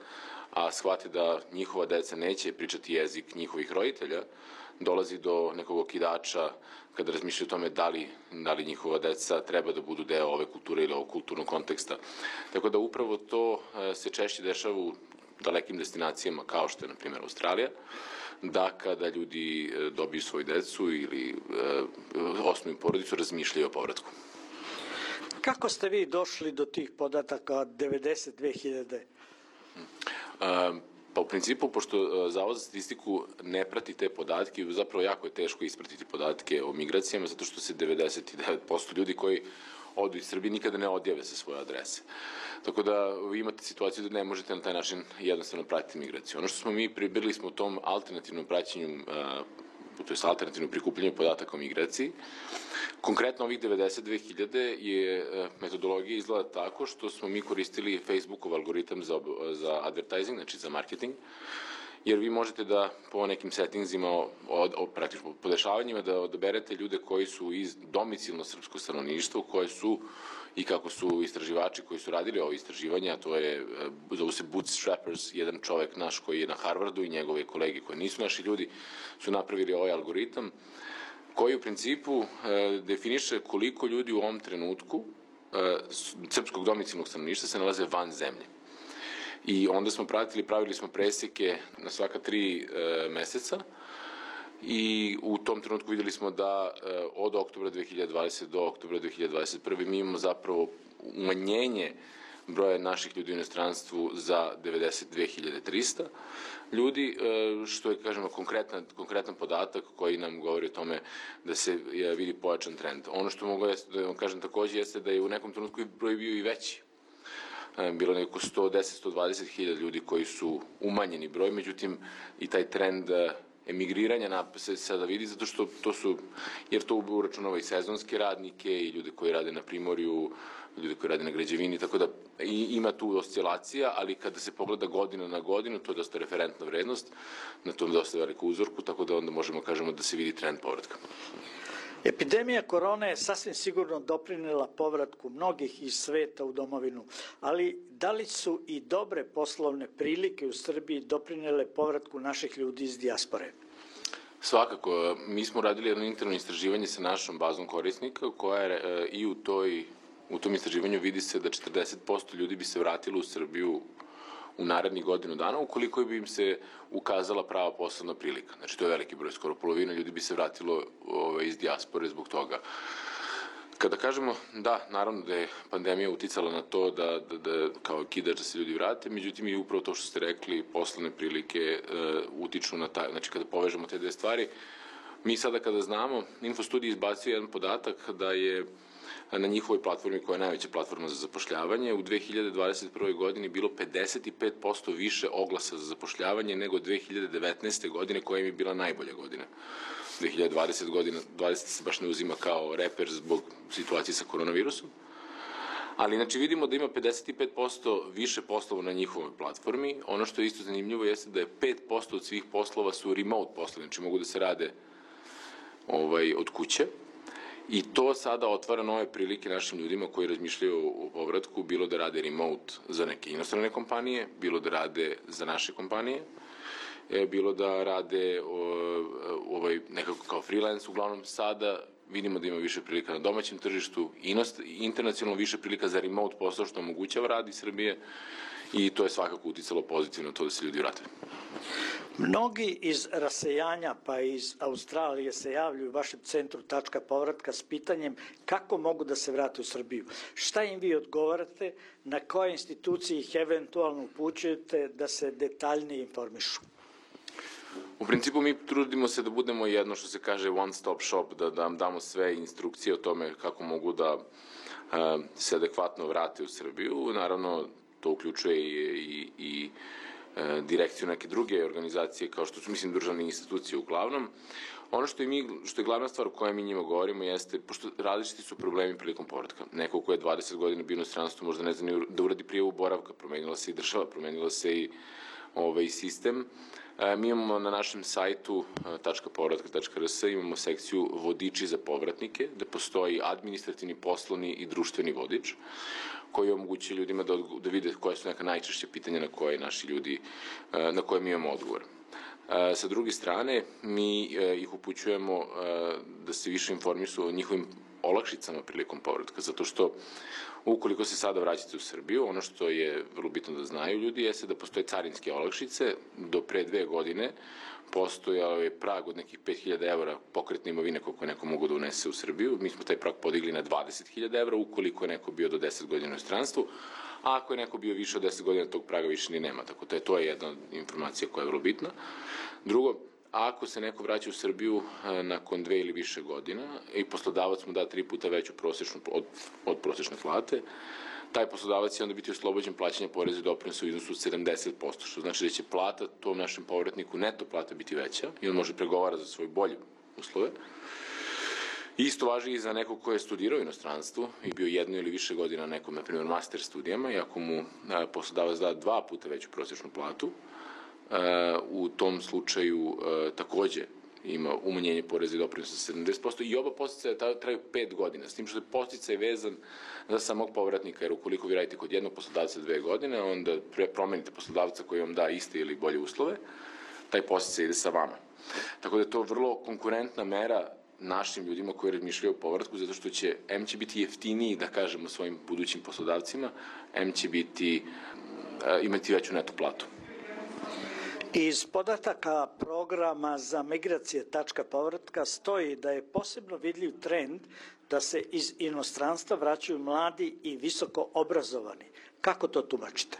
a shvate da njihova deca neće pričati jezik njihovih roditelja, dolazi do nekog okidača kada razmišljaju o tome da li, da li njihova deca treba da budu deo ove kulture ili ovog kulturnog konteksta. Tako da upravo to se češće dešava u dalekim destinacijama kao što je, na primjer, Australija, da kada ljudi dobiju svoju decu ili e, osnuju porodicu, razmišljaju o povratku. Kako ste vi došli do tih podataka od devedeset dve hiljade? E, pa u principu, pošto Zavod za statistiku ne prati te podatke, zapravo jako je teško ispratiti podatke o migracijama, zato što se devedeset devet posto ljudi koji odu iz Srbije nikada ne odjave sa svoje adrese. Tako da vi imate situaciju da ne možete na taj način jednostavno pratiti migraciju. Ono što smo mi pribirali smo u tom alternativnom praćenju, to je alternativnom prikupljanju podataka o migraciji. Konkretno ovih devedeset dve hiljade je metodologija izgleda tako što smo mi koristili Facebookov algoritam za, za advertising, znači za marketing, jer vi možete da po nekim settingsima, od, od, praktično po dešavanjima, da odaberete ljude koji su iz domicilno srpskog stanovništva, koje su i kako su istraživači koji su radili ovo istraživanje, a to je, zovu se Bootstrappers, jedan čovek naš koji je na Harvardu i njegove kolege koji nisu naši ljudi, su napravili ovaj algoritam, koji u principu e, definiše koliko ljudi u ovom trenutku e, srpskog domicilnog stanovništva se nalaze van zemlje. I onda smo pratili, pravili smo preseke na svaka tri e, meseca i u tom trenutku videli smo da e, od oktobra dve hiljade dvadesete do oktobra dve hiljade dvadeset prve mi imamo zapravo umanjenje broja naših ljudi u inostranstvu za devedeset dve hiljade trista ljudi, e, što je, kažemo, konkretan, konkretan podatak koji nam govori o tome da se je, vidi pojačan trend. Ono što mogu da vam kažem takođe jeste da je u nekom trenutku broj bio i veći. Bilo neko sto deset do sto dvadeset hiljada ljudi koji su umanjeni broj, međutim i taj trend emigriranja se sada vidi zato što to su, jer to uračunava i sezonske radnike i ljude koji rade na primorju, ljude koji rade na građevini, tako da ima tu oscilacija, ali kada se pogleda godina na godinu, to je dosta referentna vrednost, na tom dosta veliku uzorku, tako da onda možemo kažemo da se vidi trend povratka. Epidemija korone je sasvim sigurno doprinela povratku mnogih iz sveta u domovinu, ali da li su i dobre poslovne prilike u Srbiji doprinele povratku naših ljudi iz dijaspore? Svakako, mi smo radili jedno interno istraživanje sa našom bazom korisnika koja je i u toj u tom istraživanju vidi se da četrdeset posto ljudi bi se vratilo u Srbiju u narednih godinu dana, ukoliko bi im se ukazala prava poslovna prilika. Znači, to je veliki broj, skoro polovina ljudi bi se vratilo ove, iz dijaspore zbog toga. Kada kažemo, da, naravno da je pandemija uticala na to da, da, da kao kidač da se ljudi vrate, međutim i upravo to što ste rekli, poslovne prilike e, utiču na taj, znači kada povežemo te dve stvari, mi sada kada znamo, Infostudij izbacio jedan podatak da je na njihovoj platformi, koja je najveća platforma za zapošljavanje, u dve hiljade dvadeset prve. godini bilo pedeset pet posto više oglasa za zapošljavanje nego dve hiljade devetnaeste. godine, koja im je bila najbolja godina. dve hiljade dvadesete. godina, dvadeseta se baš ne uzima kao reper zbog situacije sa koronavirusom. Ali, znači, vidimo da ima pedeset pet posto više poslova na njihovoj platformi. Ono što je isto zanimljivo jeste da je pet posto od svih poslova su remote poslovi, znači mogu da se rade ovaj, od kuće. I to sada otvara nove prilike našim ljudima koji razmišljaju o povratku, bilo da rade remote za neke inostrane kompanije, bilo da rade za naše kompanije, bilo da rade ovaj, nekako kao freelance, uglavnom sada vidimo da ima više prilika na domaćem tržištu, internacionalno više prilika za remote posao što omogućava rad iz Srbije i to je svakako uticalo pozitivno to da se ljudi vrate. Mnogi iz rasejanja pa iz Australije se javljaju u vašem centru tačka povratka s pitanjem kako mogu da se vrate u Srbiju. Šta im vi odgovarate, na koje institucije ih eventualno upućujete da se detaljnije informišu? U principu mi trudimo se da budemo jedno što se kaže one stop shop, da nam damo sve instrukcije o tome kako mogu da se adekvatno vrate u Srbiju. Naravno, to uključuje i, i, i direkciju neke druge organizacije kao što su, mislim, državne institucije uglavnom. Ono što je, mi, što je glavna stvar o kojoj mi njima govorimo jeste, pošto različiti su problemi prilikom povratka. Neko ko je dvadeset godina bio u inostranstvu možda ne zna da uradi prijavu boravka, promenila se i država, promenila se i ovaj sistem. Mi imamo na našem sajtu tačka povratka tačka r s imamo sekciju vodiči za povratnike, gde postoji administrativni, poslovni i društveni vodič koji omogućuje ljudima da, da vide koje su neka najčešće pitanja na koje naši ljudi, na koje mi imamo odgovor. Sa druge strane, mi ih upućujemo da se više informišu o njihovim olakšicama prilikom povratka, zato što ukoliko se sada vraćate u Srbiju, ono što je vrlo bitno da znaju ljudi jeste da postoje carinske olakšice. Do pre dve godine postojao je prag od nekih pet hiljada evra pokretne imovine koliko je neko mogu da unese u Srbiju. Mi smo taj prag podigli na dvadeset hiljada evra ukoliko je neko bio do deset godina u inostranstvu, a ako je neko bio više od deset godina, tog praga više ni nema. Tako da je to jedna informacija koja je vrlo bitna. Drugo, ako se neko vraća u Srbiju nakon dve ili više godina i poslodavac mu da tri puta veću prosječnu, od, od prosječne plate, taj poslodavac će onda biti oslobođen plaćanja poreza i doprinosa u iznosu od sedamdeset posto, što znači da će plata tom našem povratniku, neto plata, biti veća i on može pregovara za svoje bolje uslove. Isto važi i za nekog ko je studirao u inostranstvu i bio jednu ili više godina na nekom, na primjer, master studijama i ako mu poslodavac da dva puta veću prosječnu platu, u tom slučaju takođe ima umanjenje poreza i doprinosa sa sedamdeset posto i oba podsticaja traju pet godina, s tim što je podsticaj vezan za samog povratnika, jer ukoliko vi radite kod jednog poslodavca dve godine, onda promenite poslodavca koji vam da iste ili bolje uslove, taj podsticaj ide sa vama. Tako da je to vrlo konkurentna mera našim ljudima koji razmišljaju o povratku, zato što će, em će biti jeftiniji, da kažemo, svojim budućim poslodavcima, em će biti, imati veću neto platu. Iz podataka programa za migracije tačka povratka stoji da je posebno vidljiv trend da se iz inostranstva vraćaju mladi i visoko obrazovani. Kako to tumačite?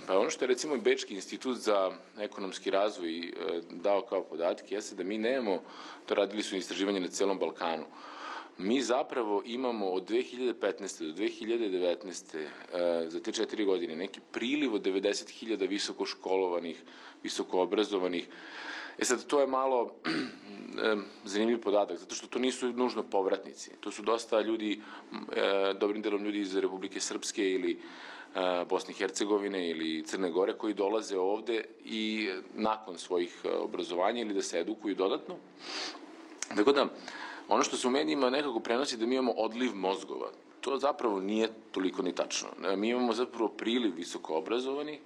Pa ono što je recimo i Bečki institut za ekonomski razvoj dao kao podatke jeste da mi nemamo, to radili su istraživanje na celom Balkanu, mi zapravo imamo od dve hiljade petnaeste do dve hiljade devetnaeste za te četiri godine neki priliv od devedeset hiljada visoko školovanih, visoko obrazovanih. E sad, to je malo zanimljiv podatak, zato što to nisu nužno povratnici. To su dosta ljudi, dobrim delom ljudi iz Republike Srpske ili Bosne i Hercegovine ili Crne Gore koji dolaze ovde i nakon svojih obrazovanja ili da se edukuju dodatno. Tako da, ono što se u medijima nekako prenosi da mi imamo odliv mozgova, to zapravo nije toliko ni tačno. Mi imamo zapravo priliv visoko obrazovanih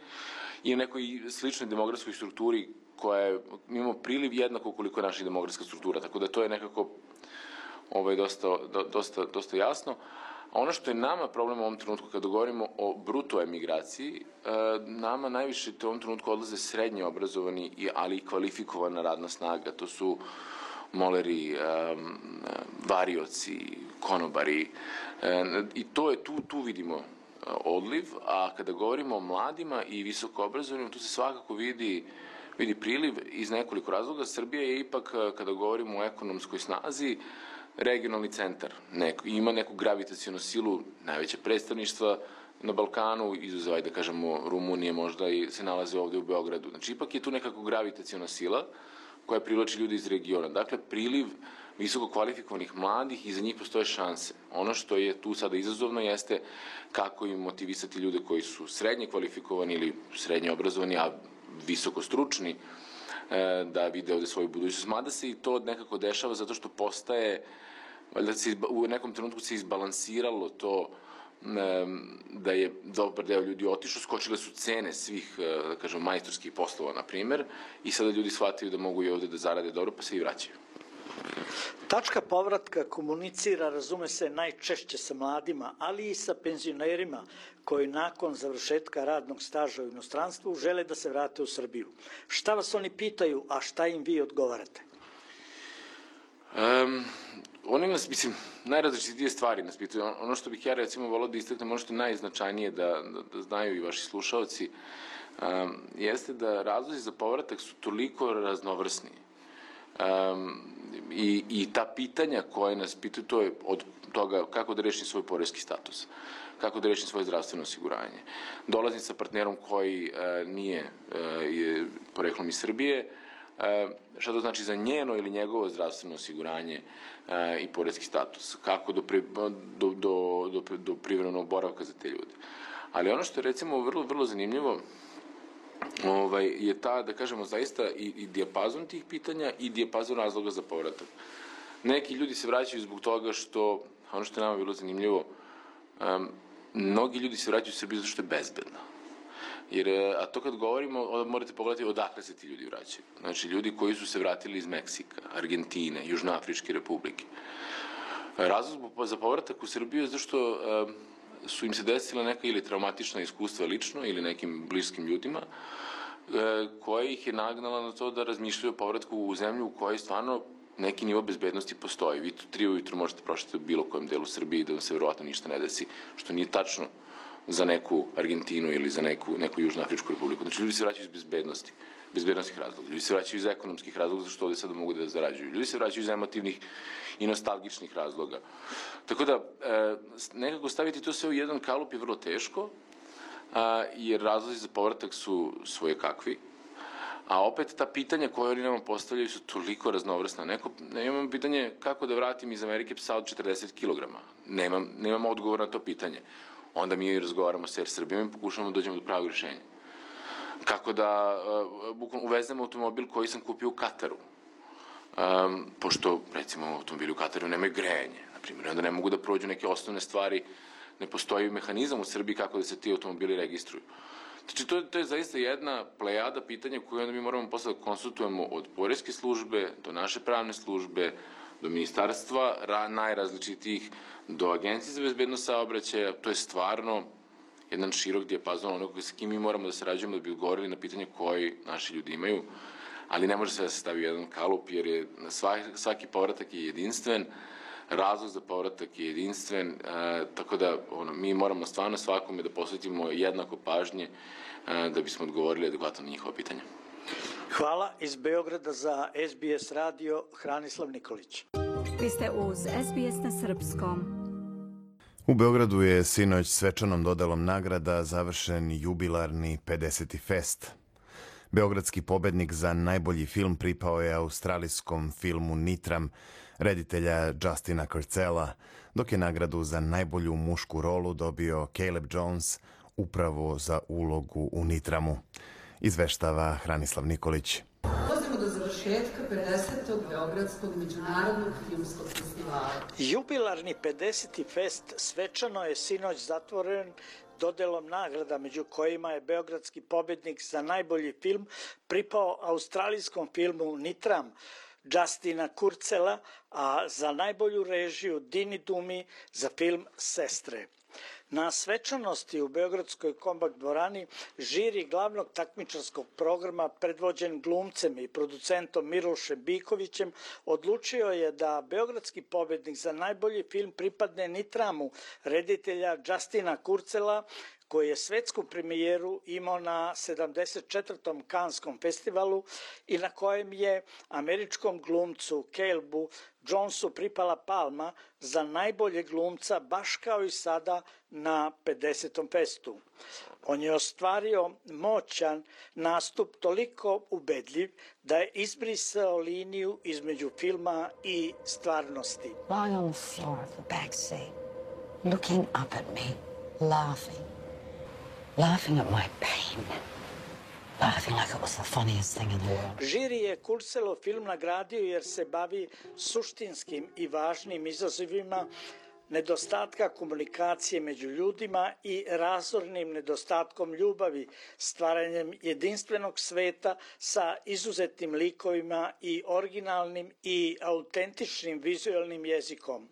i u nekoj sličnoj demografskoj strukturi koja je, mi imamo priliv jednako koliko je naša demografska struktura, tako da to je nekako ovaj, dosta, dosta, dosta jasno. A ono što je nama problem u ovom trenutku kada govorimo o bruto emigraciji, nama najviše u ovom trenutku odlaze srednje obrazovani, ali i kvalifikovana radna snaga. To su moleri, varioci, konobari i to je, tu, tu vidimo odliv, a kada govorimo o mladima i visoko obrazovanim, tu se svakako vidi, vidi priliv iz nekoliko razloga. Srbija je ipak, kada govorimo o ekonomskoj snazi, regionalni centar. Neko, ima neku gravitacionu silu, najveće predstavništva na Balkanu, izuzev, da kažemo, Rumunije možda i se nalaze ovde u Beogradu. Znači, ipak je tu nekako gravitaciona sila koja privlači ljudi iz regiona. Dakle, priliv visoko kvalifikovanih mladih i za njih postoje šanse. Ono što je tu sada izazovno jeste kako im motivisati ljude koji su srednje kvalifikovani ili srednje obrazovani, a visoko stručni, da vide ovde svoju budućnost. Mada se i to nekako dešava zato što postaje valjda se u nekom trenutku se izbalansiralo to da je dobar deo ljudi otišao, skočile su cene svih, da kažem, majstorskih poslova, na primer, i sada ljudi shvataju da mogu i ovde da zarade dobro, pa se i vraćaju. Tačka povratka komunicira, razume se, najčešće sa mladima, ali i sa penzionerima koji nakon završetka radnog staža u inostranstvu žele da se vrate u Srbiju. Šta vas oni pitaju, a šta im vi odgovarate? Um, oni nas, mislim, najrazličitije stvari nas pitaju. Ono što bih ja, recimo, volao da istaknem, ono što je najznačajnije da, da, da znaju i vaši slušaoci, um, jeste da razlozi za povratak su toliko raznovrsni. Um, i, i ta pitanja koje nas pitaju, to je od toga kako da rešim svoj poreski status, kako da rešim svoje zdravstveno osiguranje. Dolazim sa partnerom koji uh, nije uh, je poreklom iz Srbije, uh, šta to znači za njeno ili njegovo zdravstveno osiguranje uh, i poreski status, kako do, pri, do, do, do, do privremenog boravka za te ljude. Ali ono što je, recimo, vrlo, vrlo zanimljivo, Ovaj, je ta, da kažemo, zaista i, i dijapazon tih pitanja i dijapazon razloga za povratak. Neki ljudi se vraćaju zbog toga što, ono što je nama bilo zanimljivo, um, mnogi ljudi se vraćaju u Srbiju zato što je bezbedno. Jer, a to kad govorimo, morate pogledati odakle se ti ljudi vraćaju. Znači, ljudi koji su se vratili iz Meksika, Argentine, Južnoafričke republike. Razlog za povratak u Srbiju je zato što um, su im se desila neka ili traumatična iskustva lično ili nekim bliskim ljudima koja ih je nagnala na to da razmišljaju o povratku u zemlju u kojoj stvarno neki nivo bezbednosti postoji. Vi tu tri ujutru možete prošeti u bilo kojem delu Srbije i da vam se verovatno ništa ne desi, što nije tačno za neku Argentinu ili za neku, neku Južnoafričku republiku. Znači, ljudi se vraćaju iz bezbednosti, bezbednostnih razloga. Ljudi se vraćaju iz ekonomskih razloga, zašto ovde sada mogu da zarađuju. Ljudi se vraćaju iz emotivnih i nostalgičnih razloga. Tako da, e, nekako staviti to sve u jedan kalup je vrlo teško, a, jer razlozi za povratak su svoje kakvi, a opet ta pitanja koje oni nama postavljaju su toliko raznovrsna. Neko, ne imam pitanje kako da vratim iz Amerike psa od četrdeset kilograma. Nemam, nemam odgovor na to pitanje. Onda mi razgovaramo sa Air Srbijom i pokušamo da dođemo do pravog rješenja. Kako da uh, uvezem automobil koji sam kupio u Kataru. Um, pošto, recimo, automobili u Kataru nemaju grejanje, na primjer, onda ne mogu da prođu neke osnovne stvari, ne postoji mehanizam u Srbiji kako da se ti automobili registruju. Znači, to, to je zaista jedna plejada pitanja koju onda mi moramo posle da konsultujemo od poreske službe do naše pravne službe, do ministarstva ra, najrazličitijih, do Agencije za bezbednost saobraćaja. To je stvarno jedan širok dijapazon onoga sa kim mi moramo da sarađujemo da bi odgovorili na pitanje koji naši ljudi imaju, ali ne može sve da se stavi u jedan kalup, jer je svaki, svaki povratak je jedinstven, razlog za povratak je jedinstven, e, tako da ono, mi moramo stvarno svakome da posvetimo jednako pažnje e, da bismo odgovorili adekvatno na njihova pitanja. Hvala. Iz Beograda za S B S radio, Hranislav Nikolić. Vi ste uz S B S na srpskom. U Beogradu je sinoć svečanom dodelom nagrada završen jubilarni pedeseti fest. Beogradski pobednik za najbolji film pripao je australijskom filmu Nitram reditelja Justina Kurcela, dok je nagradu za najbolju mušku rolu dobio Caleb Jones upravo za ulogu u Nitramu. Izveštava Hranislav Nikolić. Dolazimo do završetka pedesetog Beogradskog međunarodnog filmskog festivala. Jubilarni pedeseti fest svečano je sinoć zatvoren dodelom nagrada, među kojima je beogradski pobednik za najbolji film pripao australijskom filmu Nitram Justina Kurcela, a za najbolju režiju Dini Dumi za film Sestre. Na svečanosti u Beogradskoj Kombak dvorani žiri glavnog takmičarskog programa predvođen glumcem i producentom Milošem Bikovićem odlučio je da beogradski pobednik za najbolji film pripadne Nitramu reditelja Justina Kurcela, koji je svetsku premijeru imao na sedamdeset četvrtom Kanskom festivalu i na kojem je američkom glumcu Calebu Jonesu pripala palma za najbolje glumca, baš kao i sada na pedesetom festu. On je ostvario moćan nastup, toliko ubedljiv da je izbrisao liniju između filma i stvarnosti. Lying on the floor of the back seat, looking up at me, laughing. Laughing at my pain. laughing like it was the funniest thing in the world. Žiri je Kurcelov film nagradio jer se bavi suštinskim i važnim izazovima nedostatka komunikacije među ljudima i razornim nedostatkom ljubavi, stvaranjem jedinstvenog sveta sa izuzetnim likovima i originalnim i autentičnim vizualnim jezikom.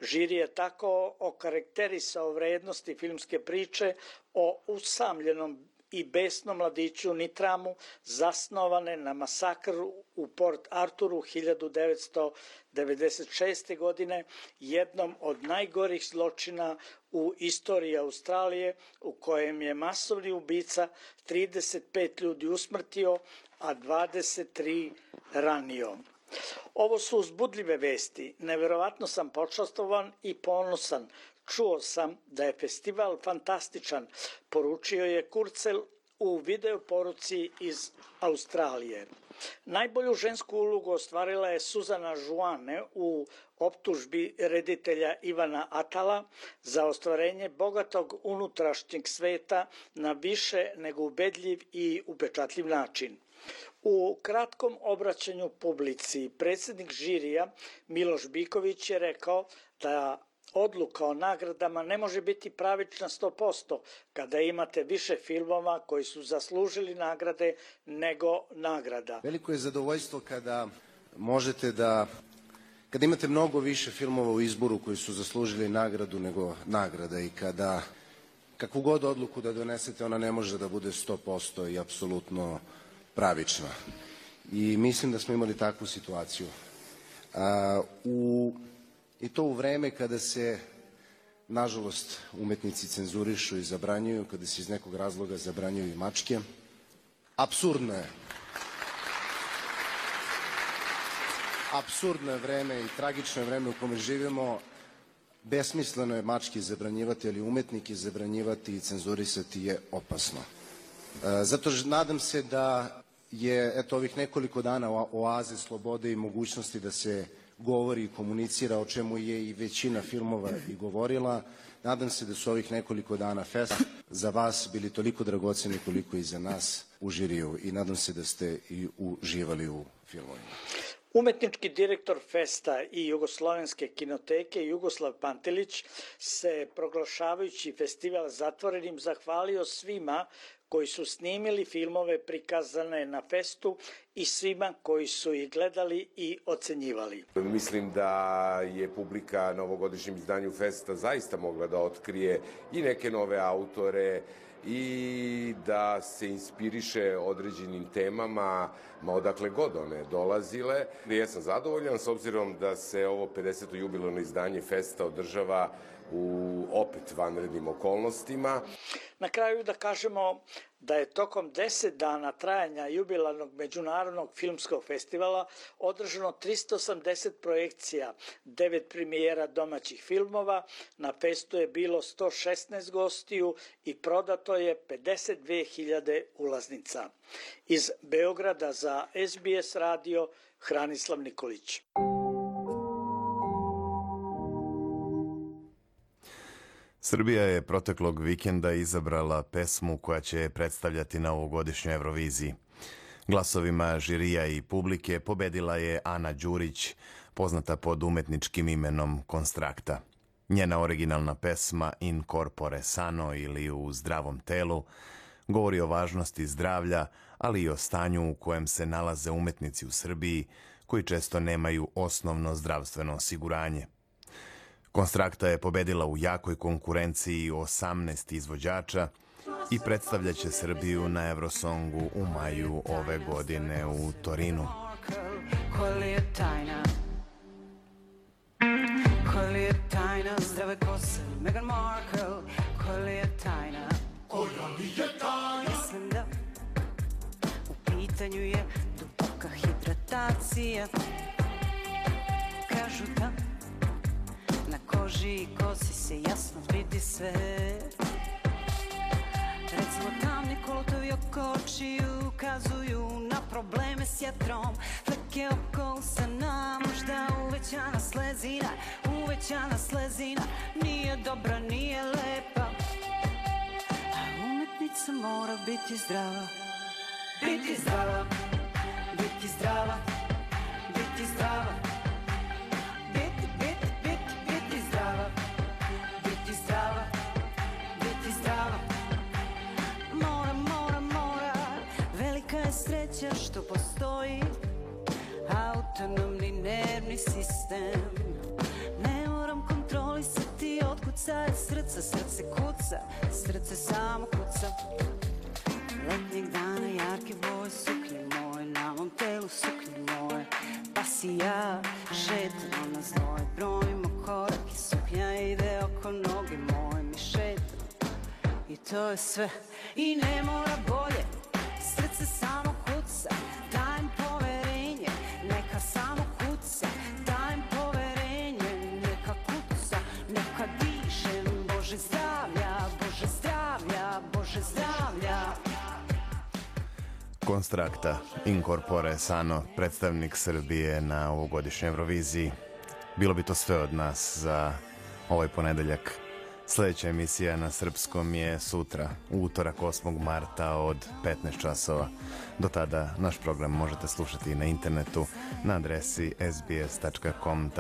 Žiri je tako okarakterisao vrednosti filmske priče o usamljenom i besnom mladiću Nitramu, zasnovane na masakru u Port Arturu hiljadu devetsto devedeset šeste. godine, jednom od najgorih zločina u istoriji Australije, u kojem je masovni ubica trideset pet ljudi usmrtio, a dvadeset tri ranio. Ovo su uzbudljive vesti. Neverovatno sam počastovan i ponosan. Čuo sam da je festival fantastičan, poručio je Kurcel u video poruci iz Australije. Najbolju žensku ulogu ostvarila je Suzana Žuane u optužbi reditelja Ivana Atala za ostvarenje bogatog unutrašnjeg sveta na više nego ubedljiv i upečatljiv način. U kratkom obraćanju publici predsjednik žirija Miloš Biković je rekao da odluka o nagradama ne može biti pravična sto posto kada imate više filmova koji su zaslužili nagrade nego nagrada. Veliko je zadovoljstvo kada možete da, kada imate mnogo više filmova u izboru koji su zaslužili nagradu nego nagrada i kada kakvu god odluku da donesete ona ne može da bude sto posto i apsolutno pravična. I mislim da smo imali takvu situaciju. A, u I to u vreme kada se, nažalost, umetnici cenzurišu i zabranjuju, kada se iz nekog razloga zabranjuju i mačke. Apsurdno je. Apsurdno je vreme i tragično je vreme u kome živimo. Besmisleno je mačke zabranjivati, ali umetnike zabranjivati i cenzurisati je opasno. Zato nadam se da je, eto, ovih nekoliko dana oaze slobode i mogućnosti da se govori i komunicira, o čemu je i većina filmova i govorila. Nadam se da su ovih nekoliko dana festa za vas bili toliko dragoceni koliko i za nas u žiriju i nadam se da ste i uživali u filmovima. Umetnički direktor Festa i Jugoslovenske kinoteke Jugoslav Pantelić se, proglašavajući festival zatvorenim, zahvalio svima koji su snimili filmove prikazane na Festu i svima koji su ih gledali i ocenjivali. Mislim da je publika na ovogodišnjem izdanju Festa zaista mogla da otkrije i neke nove autore i da se inspiriše određenim temama, ma odakle god one dolazile. Ja sam zadovoljan s obzirom da se ovo pedeseto jubilarno izdanje Festa održava u opet vanrednim okolnostima. Na kraju da kažemo da je tokom deset dana trajanja jubilarnog međunarodnog filmskog festivala održano tristo osamdeset projekcija, devet premijera domaćih filmova, na festu je bilo sto šesnaest gostiju i prodato je pedeset dve hiljade ulaznica. Iz Beograda za S B S radio Hranislav Nikolić. Srbija je proteklog vikenda izabrala pesmu koja će je predstavljati na ovogodišnjoj Euroviziji. Glasovima žirija i publike pobedila je Ana Đurić, poznata pod umetničkim imenom Konstrakta. Njena originalna pesma In corpore sano ili U zdravom telu govori o važnosti zdravlja, ali i o stanju u kojem se nalaze umetnici u Srbiji koji često nemaju osnovno zdravstveno osiguranje. Konstrakta je pobedila u jakoj konkurenciji osamnaest izvođača i predstavljaće Srbiju na Eurosongu u maju ove godine u Torinu. Koja li je tajna? Koja li je tajna zdrave kose? Meghan Markle, koja li je tajna? Koja li je tajna? Mislim da u pitanju je duboka hidratacija. Kažu da na koži i kosi se jasno vidi sve. Recimo tamni kolotovi oko očiju ukazuju na probleme s jetrom. Fleke oko usana, možda uvećana slezina. Uvećana slezina nije dobra, nije lepa. A umetnica mora biti zdrava. Biti zdrava, biti zdrava, biti zdrava. Biti, biti, biti, biti zdrava, biti zdrava, biti zdrava. Mora, mora, mora, velika je sreća što postoji autonomni nervni sistem. Ne moram kontrolisati otkucaje srca, srce kuca, srce samo kuca. Letnjeg dana jarke boje suknje moje, na mom telu suknje moje, pa si ja šetam na znoj, brojimo korak i suknja ide oko noge moje, mi šetam i to je sve i ne mora bolje, srce samo kuca, dajem poverenje, neka samo kuca, dajem poverenje, neka kuca, neka dišem, Bože zdravlja, Bože zdravlja, Bože zdravlja. Konstrakta Incorpore Sano, predstavnik Srbije na ovogodišnjoj Euroviziji. Bilo bi to sve od nas za ovaj ponedeljak. Sljedeća emisija na srpskom je sutra, u utorak osmog marta od petnaest časova. Do tada naš program možete slušati na internetu na adresi sbs.com.au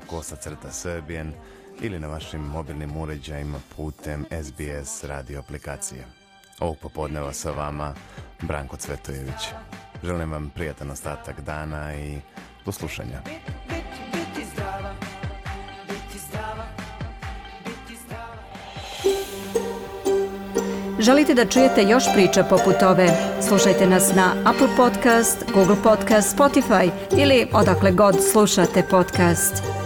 kosacrta Serbian ili na vašim mobilnim uređajima putem S B S radio aplikacije. Ovog popodneva sa vama Branko Cvetojević. Želim vam prijatan ostatak dana i do slušanja. Biti zdrava, biti zdrava, biti zdrava. Želite da čujete još priča poput ove? Slušajte nas na Apple Podcast, Google Podcast, Spotify ili odakle god slušate podcast.